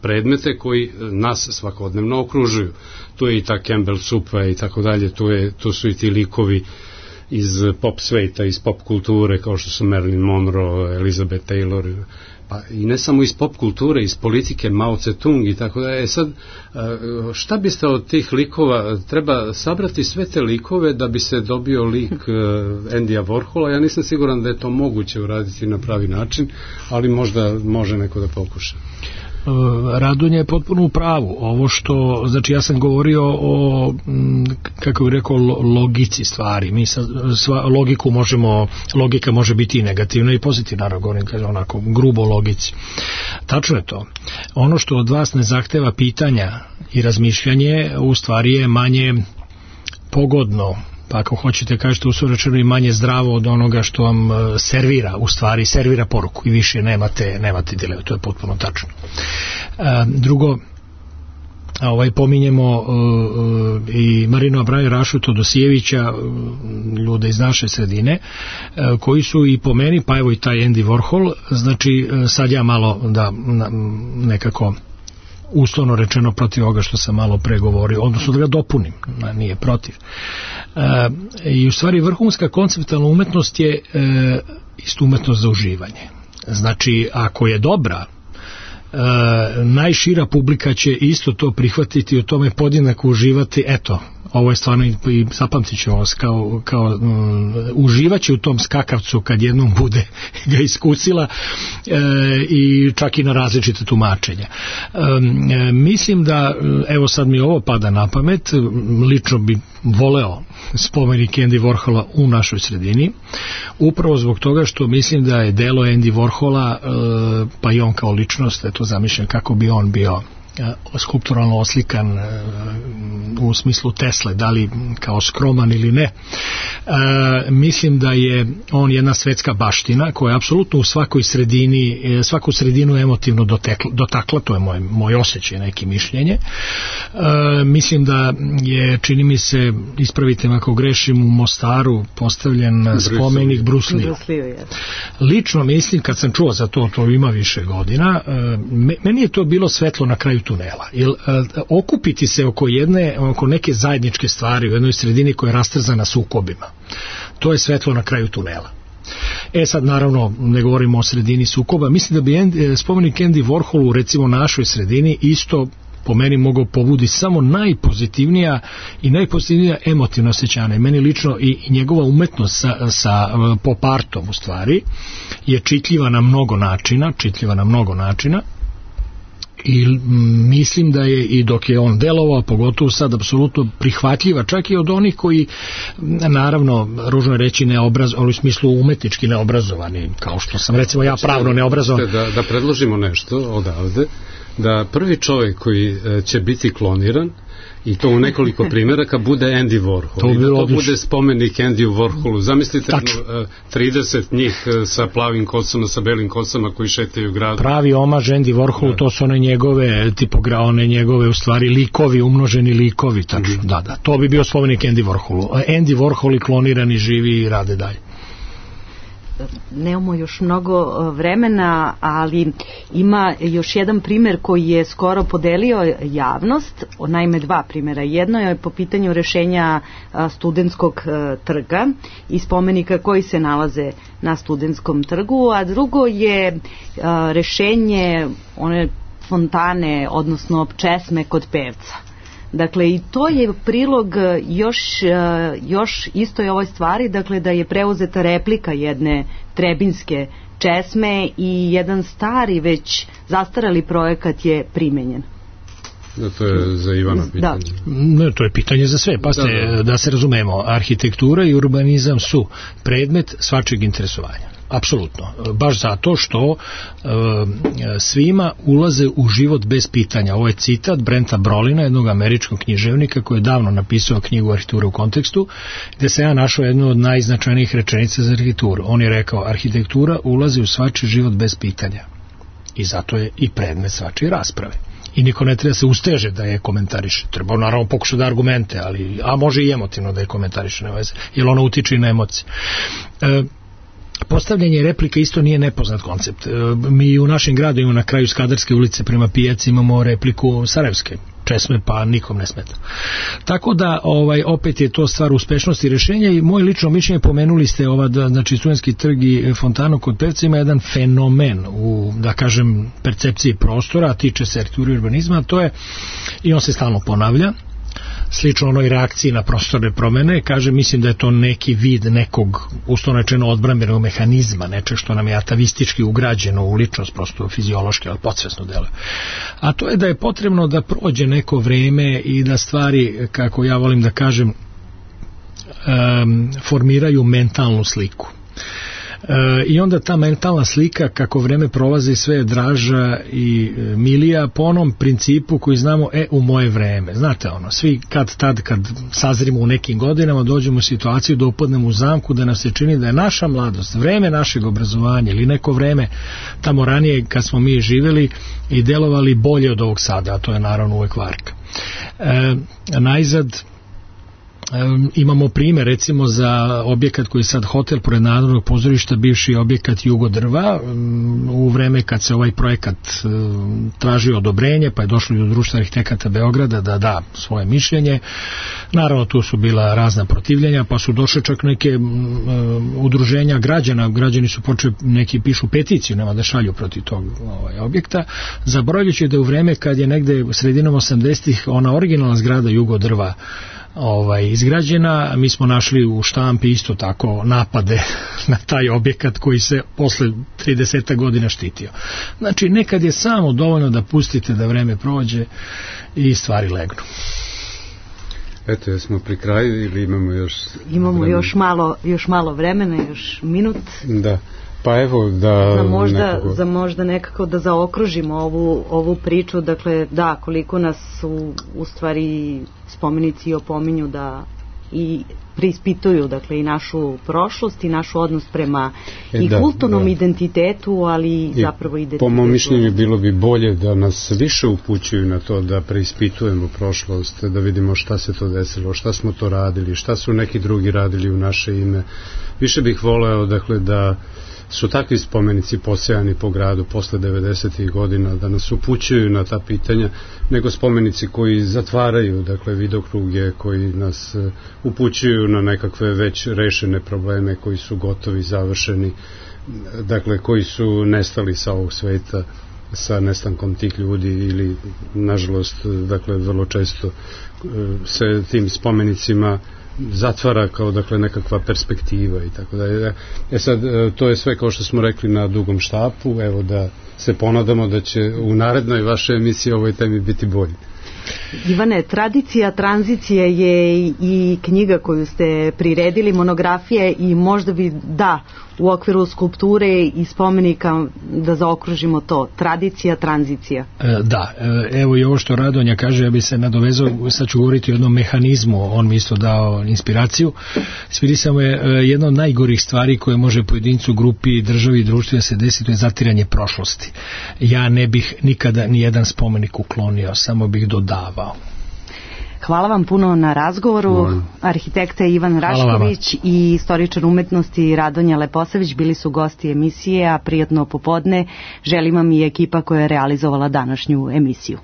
predmete koji nas svakodnevno okružuju. Tu je i ta Campbell supa i tako dalje, tu su i ti likovi iz pop sveta, iz pop kulture, kao što su Marilyn Monroe, Elizabeth Taylor, pa i ne samo iz pop kulture, iz politike, Mao Tse-tung i tako dalje. Sad, šta biste od tih likova, treba sabrati sve te likove da bi se dobio lik Andyja Warhola. Ja nisam siguran da je to moguće uraditi na pravi način, ali možda može neko da pokuša. Radonja je potpuno u pravu. Ovo što, znači ja sam govorio o, kako bih rekao, logici stvari. Mi logika može biti i negativna i pozitivna, naravno govorim onako grubo logici. Tačno je to. Ono što od vas ne zahteva pitanja i razmišljanje, u stvari je manje pogodno, pa ako hoćete kažete uslovno i manje zdravo od onoga što vam servira, u stvari servira poruku i više nemate dileme, to je potpuno tačno. Drugo, pominjemo i Marinu Abraju, Rašu Todosijevića, ljude iz naše sredine, koji su i po meni, pa evo i taj Andy Warhol, znači sad ja malo da nekako uslovno rečeno protiv ovoga što sam malo pregovorio, odnosno da ga dopunim, nije protiv. I u stvari vrhunska konceptualna umetnost je isto umetnost za uživanje. Znači, ako je dobra, najšira publika će isto to prihvatiti i u tome podjednako uživati. Eto, ovo je stvarno i zapamtit ću vas kao uživaće u tom skakavcu kad jednom bude ga iskusila i čak i na različite tumačenja. Mislim da, evo sad mi ovo pada na pamet, lično bi voleo spomenik Andy Warhola u našoj sredini, upravo zbog toga što mislim da je delo Andy Warhola, pa i on kao ličnost, eto zamišljam kako bi on bio skulpturalno oslikan u smislu Tesle, da li kao skroman ili ne. Mislim da je on jedna svetska baština koja je apsolutno u svaku sredinu emotivno dotakla, to je moj osjećaj, neki mišljenje. Mislim da je, čini mi se, ispravite me ako grešim, u Mostaru postavljen spomenik Bruce Lee. Lično mislim, kad sam čuo za to ima više godina, meni je to bilo svetlo na kraju tunela. Okupiti se oko neke zajedničke stvari u jednoj sredini koja je rastrzana sukobima, to je svetlo na kraju tunela. Sad naravno ne govorimo o sredini sukoba, mislim da bi spomenik Andy Warholu recimo našoj sredini isto po meni mogao pobudi samo najpozitivnija emotivna osjećanja. Meni lično i njegova umetnost sa pop artom u stvari je čitljiva na mnogo načina i mislim da je i dok je on delovao, pogotovo sad apsolutno prihvatljiva, čak i od onih koji naravno, ružno je reći ali u smislu umetnički neobrazovani, kao što sam recimo ja pravno neobrazovan. Da predložimo nešto odavde, da prvi čovjek koji će biti kloniran i to u nekoliko primjeraka bude Andy Warhol i da to bude spomenik Andy Warholu. Zamislite 30 njih sa plavim kosama, sa belim kosama koji šetaju gradu. Pravi omaž Andy Warholu, to su one njegove u stvari likovi, umnoženi likovi, tačno. Da, to bi bio spomenik Andy Warholu. Andy Warhol i klonirani živi i rade dalje. Nemamo još mnogo vremena, ali ima još jedan primjer koji je skoro podelio javnost, naime dva primjera. Jedno je po pitanju rešenja Studentskog trga i spomenika koji se nalaze na Studentskom trgu, a drugo je rešenje one fontane, odnosno česme kod Pevca. Dakle, i to je prilog još istoj ovoj stvari, dakle da je preuzeta replika jedne trebinske česme i jedan stari, već zastarali projekat je primenjen. To je za Ivana pitanje. Ne, to je pitanje za sve. Da se razumemo, arhitektura i urbanizam su predmet svačeg interesovanja. Apsolutno. Baš zato što svima ulaze u život bez pitanja. Ovo je citat Brenta Brolina, jednog američkog književnika koji je davno napisao knjigu Arhitektura u kontekstu, gde se ja našao jednu od najznačajnijih rečenica za arhitekturu. On je rekao, arhitektura ulazi u svačiji život bez pitanja. I zato je i predmet svačije rasprave. I niko ne treba se usteže da je komentariše. Treba naravno pokušati da argumente, a može i emotivno da je komentariše, jer ono utiče i na emocije. Postavljanje replika isto nije nepoznat koncept. Mi u našem gradu imamo na kraju Skadarske ulice prema pijaci imamo repliku Sarajevske česme, pa nikom ne smeta. Tako da opet je to stvar uspešnosti rešenja i moje lično mišljenje, pomenuli ste znači Studentski trg i fontanu kod Pevca ima jedan fenomen u, da kažem, percepciji prostora, a tiče se arhitekture i urbanizma, to je, i on se stalno ponavlja, slično onoj reakciji na prostorne promene, kaže, mislim da je to neki vid nekog uslovno rečeno odbrambenog mehanizma, nečeg što nam je atavistički ugrađeno u ličnost, prosto fiziološki, ali podsvesno deluje. A to je da je potrebno da prođe neko vreme i da stvari, kako ja volim da kažem, formiraju mentalnu sliku. I onda ta mentalna slika kako vreme prolazi sve je draža i milija po onom principu koji znamo u moje vreme. Znate svi kad sazrimo u nekim godinama dođemo u situaciju da upadnemo u zamku da nam se čini da je naša mladost, vreme našeg obrazovanja ili neko vreme tamo ranije kad smo mi živjeli i delovali bolje od ovog sada, a to je naravno uvek varka. Najzad imamo primjer recimo za objekat koji je sad hotel pored Narodnog pozorišta, bivši objekat Jugodrva, u vreme kad se ovaj projekat tražio odobrenje, pa je došlo do Društva arhitekata Beograda da da svoje mišljenje. Naravno tu su bila razna protivljenja, pa su došle čak neke udruženja građani su počeli, neki pišu peticiju, nema da šalju protiv tog objekta, zaboravljajući da u vreme kad je negde sredinom 80-ih ona originalna zgrada Jugodrva izgrađena, mi smo našli u štampi isto tako napade na taj objekat koji se posle 30 godina štitio. Znači nekad je samo dovoljno da pustite da vreme prođe i stvari legnu. Eto, jesmo pri kraju ili imamo još još malo vremena, još minut. Da. Pa evo za možda nekako da zaokružimo ovu priču, dakle da, koliko nas u stvari spomenici opominju da i preispituju, dakle, i našu prošlost i naš odnos prema i kulturnom identitetu, ali zapravo identitetu. Po mom mišljenju bilo bi bolje da nas više upućuju na to da preispitujemo prošlost, da vidimo šta se to desilo, šta smo to radili, šta su neki drugi radili u naše ime. Više bih voleo, dakle, da su takvi spomenici posejani po gradu posle 90. godina da nas upućuju na ta pitanja, nego spomenici koji zatvaraju, dakle, vidokruge, koji nas upućuju na nekakve već rešene probleme koji su gotovi, završeni, dakle, koji su nestali sa ovog sveta sa nestankom tih ljudi ili, nažalost, dakle, vrlo često se tim spomenicima zatvara kao, dakle, nekakva perspektiva i tako dalje. Sad, to je sve, kao što smo rekli, na dugom štapu. Evo, da se ponadamo da će u narednoj vašoj emisiji o ovoj temi biti bolji. Ivane, tradicija tranzicije je i knjiga koju ste priredili, monografije, i možda bi, u okviru skulpture i spomenika da zaokružimo to, tradicija, tranzicija. Da, evo i ovo što Radonja kaže, ja bi se nadovezao, sad ću govoriti o jednom mehanizmu, on mi isto dao inspiraciju. Svidi samo je jedna od najgorih stvari koje može pojedincu, grupi, državi i društvu da se desi, to je zatiranje prošlosti. Ja ne bih nikada ni jedan spomenik uklonio, samo bih dodavao. Hvala vam puno na razgovoru. Arhitekta Ivan Rašković i istoričar umetnosti Radonja Leposavić bili su gosti emisije, a prijatno popodne želim vam i ekipa koja je realizovala današnju emisiju.